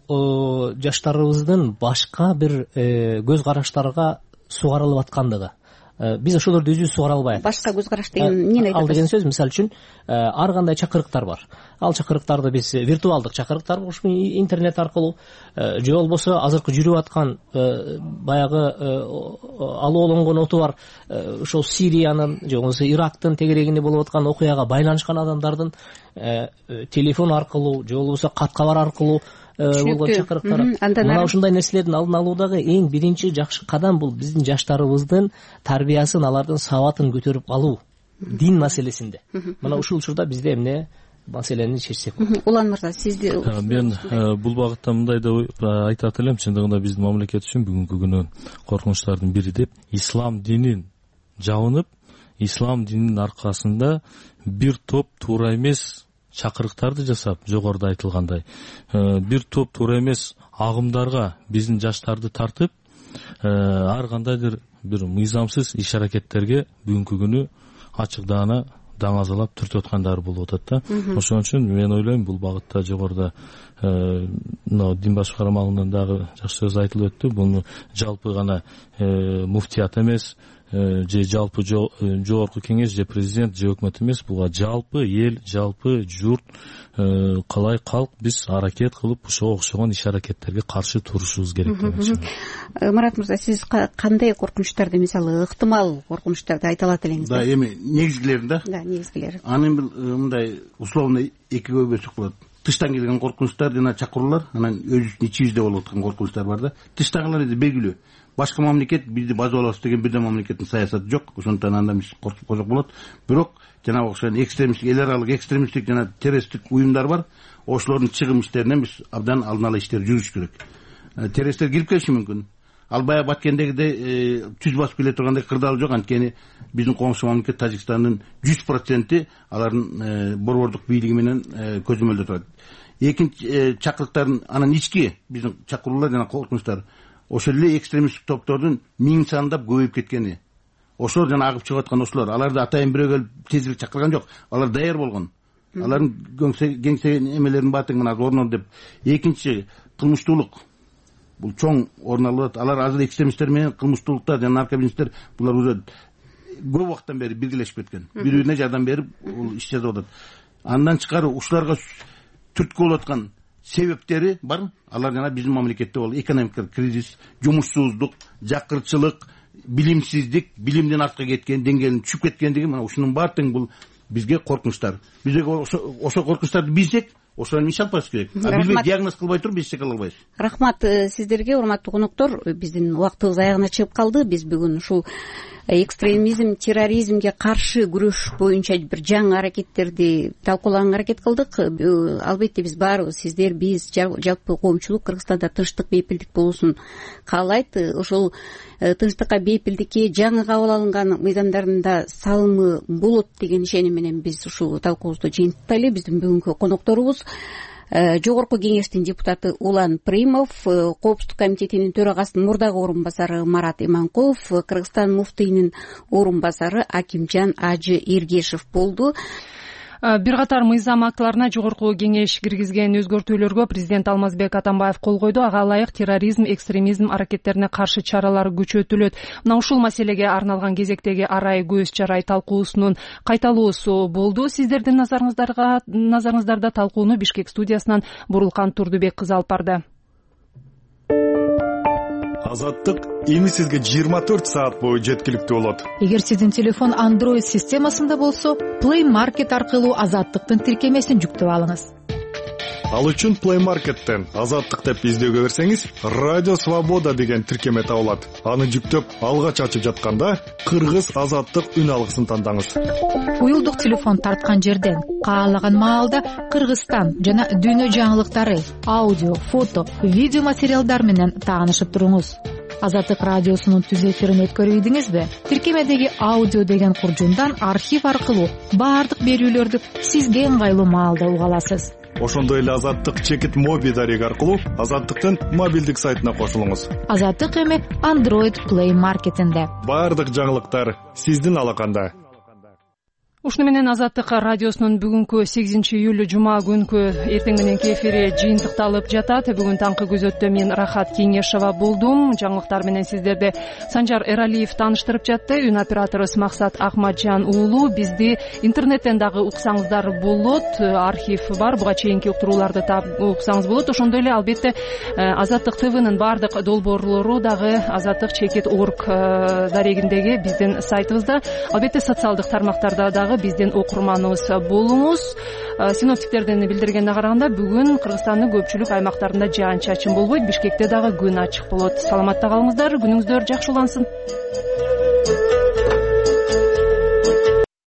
жаштарыбыздын башка бир көз караштарга сугарылып аткандыгы. Биз ошолорду өзүбүз сугара албай атабыз. Башка көз караш деген эмнени айтат? Ал деген сөз, мисалы үчүн, ар кандай чакырыктар бар. Ал чакырыктарды биз виртуалдык чакырыктар ушул интернет аркылуу же болбосо азыркы жүрүп аткан баягы алоолонгон оту бар ошол Сириянын же болбосо Ирактын тегерегинде болуп аткан окуяга байланышкан адамдардын телефон аркылуу же болбосо кат кабар аркылуу болгон чакырыктар. Мына ушундай нерселердин алдын алуудагы эң биринчи жакшы кадам бул биздин жаштарыбыздын тарбиясын, алардын сабатын көтөрүп алуу дин маселесинде. Мына ушул учурда бизде эмне маселени чечсек болот. Улан мырза, сизди мен бул багытта мындай деп айтат элем, чындыгында биздин мамлекет үчүн бүгүнкү күнү коркунучтардын бири деп ислам динин жабынып, ислам дининин аркасында бир топ туура эмес чакырыктарды жасап, жогоруда айтылгандай бир топ туура эмес агымдарга биздин жаштарды тартып, ар кандайдыр бир мыйзамсыз иш аракеттерге бүгүнкү күнү ачык-даана даңазалап түртүп аткандары болуп атат да. Ошон үчүн мен ойлойм, бул багытта жогоруда мына дин башкармалынан дагы жакшы сөз айтылып өттү. Буну жалпы гана муфтият эмес, же жалпы жогорку кеңеш, же президент, же өкмөт эмес, буга жалпы эл, жалпы журт, калай калк биз аракет кылып ошого окшогон иш аракеттерге каршы турушубуз керек деп ойлойм. Марат мырза, сиз кандай коркунучтарды, мисалы, ыктымал коркунучтарды айта алат элеңиз? Да, эми негизгилерин да. Да, негизгилери. Анын мындай условно экиге бөлсөк болот. Тыштан келген коркунучтар жана чакыруулар, анан өзүбүздүн ичибизде болуп аткан коркунучтар бар да. Тыштагылар эди белгилүү. Башка мамлекет бизди база алабыз деген бирден мамлекеттин саясаты жок. Ошондон анда биз коркуп койсок болот. Бирок жанагы окшогон экстремисттик, эл аралык экстремисттик жана террористтик уюмдар бар. Ошолордун чыгым иштеринен биз абдан алдын ала иштер жүргүзүш керек. Террористтер кирип келиши мүмкүн. Ал баягы Баткендегидей түз басып келе тургандай кырдаал жок, анткени биздин коңшу мамлекет Тажикстандын жүз проценти алардын борбордук бийлиги менен көзөмөлдө турат. Экинчи чакырыктардын анан ички биздин чакыруулар жана коркунучтар ошол эле экстремисттик топтордун миң сандап көбөйүп кеткени. Ошолор жана агып чыгып аткан ошолор. Аларды атайын бирөө келип тезирээк чакырган жок. Алар даяр болгон. Алардын кеңсе эмелерин баатың мына орнор деп. Экинчи кылмыштуулук. Бул чоң орун алып атат. Алар азыр экстремисттер менен кылмыштуулуктар жана наркобизнестер булар уже көп убакыттан бери биргелешип кеткен. Бири-бирине жардам берип, бул иш жасап атат. Андан тышкары ушуларга түрткү болуп аткан себептери бар. Алар жана биздин мамлекетте бол экономикалык кризис, жумушсуздук, жакырчылык, билимсиздик, билимден артка кеткен, деңгээлин түшүп кеткендиги, мына ушунун баардыгы бул бизге коркунучтар. Бизге ошо коркунучтарды билсек, ошонун иш алып барыш керек. А билбей диагноз кылбай туруп биз эч кыла албайбыз. Рахмат сиздерге, урматтуу коноктор. Биздин убактыбыз аягына чыгып калды. Биз бүгүн ушул экстремизм, терроризмге каршы күрөш боюнча бир жаңы аракеттерди талкуулаганга аракет кылдык. Албетте биз баарыбыз, сиздер, биз, жалпы коомчулук Кыргызстанда тынчтык, бейпилдик болуусун каалайт. Ошол тынчтыкка, бейпилдикке жаңы кабыл алынган мыйзамдарында салымы болот деген ишеним менен биз ушул талкуубузду жыйынтыктайлы. Биздин бүгүнкү конокторубуз Жогорку кеңештин депутаты Улан Примов, Коопсуздук комитетинин төрагасынын мурдагы орун басары Марат Иманкулов, Кыргызстан муфтийинин орун басары Акимжан Ажы Эргешев болду. Бир катар мыйзам актыларына жогорку кеңеш киргизген өзгөртүүлөргө президент Алмазбек Атамбаев кол койду. Ага ылайык терроризм, экстремизм аракеттерине каршы чаралар күчөтүлөт. Мына ушул маселеге арналган кезектеги арай көз чарай талкуусунун кайталоосу болду. Сиздердин назарыңыздарга назарыңыздарда талкууну Бишкек студиясынан Бурулкан Турдубек кызы алып барды. Азаттык эми сизге жыйырма төрт саат бою жеткиликтүү болот. Эгер сиздин телефон Android системасында болсо, Play Market аркылуу Азаттыктын тиркемесин жүктөп алыңыз. Ал үчүн Play Market'тен Азаттык деп издөөгө берсеңиз, Радио Свобода деген тиркеме табылат. Аны жүктөп алгач ачып жатканда кыргыз азаттык үн алгысын тандаңыз. Уюлдук телефон тарткан жерден каалаган маалда Кыргызстан жана дүйнө жаңылыктары, аудио, фото, видео материалдар менен таанышып туруңуз. Азаттык радиосунун түз эфирин өткөрүп ийдиңизби? Тиркемедеги аудио деген куржундан архив аркылуу баардык берүүлөрдү сизге ыңгайлуу маалда уга аласыз. Ошондой эле Азаттык чекит моби дареги аркылуу Азаттыктын мобилдик сайтына кошулуңуз. Азаттык эми Android Play Market'инде. Баардык жаңылыктар сиздин алаканда. Ушуну менен Азаттык радиосунун бүгүнкү сегизинчи июль жума күнкү эртең мененки эфири жыйынтыкталып жатат. Бүгүн таңкы күзөттө мен Рахат Кеңешова болдум. Жаңылыктар менен сиздерди Санжар Эралиев тааныштырып жатты. Үн операторубуз Максат Акматжан уулу. Бизди интернеттен дагы уксаңыздар болот. Архив бар. Буга чейинки уктурууларды таап уксаңыз болот. Ошондой эле албетте Азаттык ТВнын баардык долбоорлору дагы азаттык чекит точка орг дарегиндеги биздин сайтыбызда. Албетте социалдык тармактарда дагы биздин окурманыбыз болуңуз. Синоптиктерден билдиргенине караганда бүгүн Кыргызстандын көпчүлүк аймактарында жаан чачын болбойт, Бишкекте дагы күн ачык болот. Саламатта калыңыздар, күнүңүздөр жакшы улансын.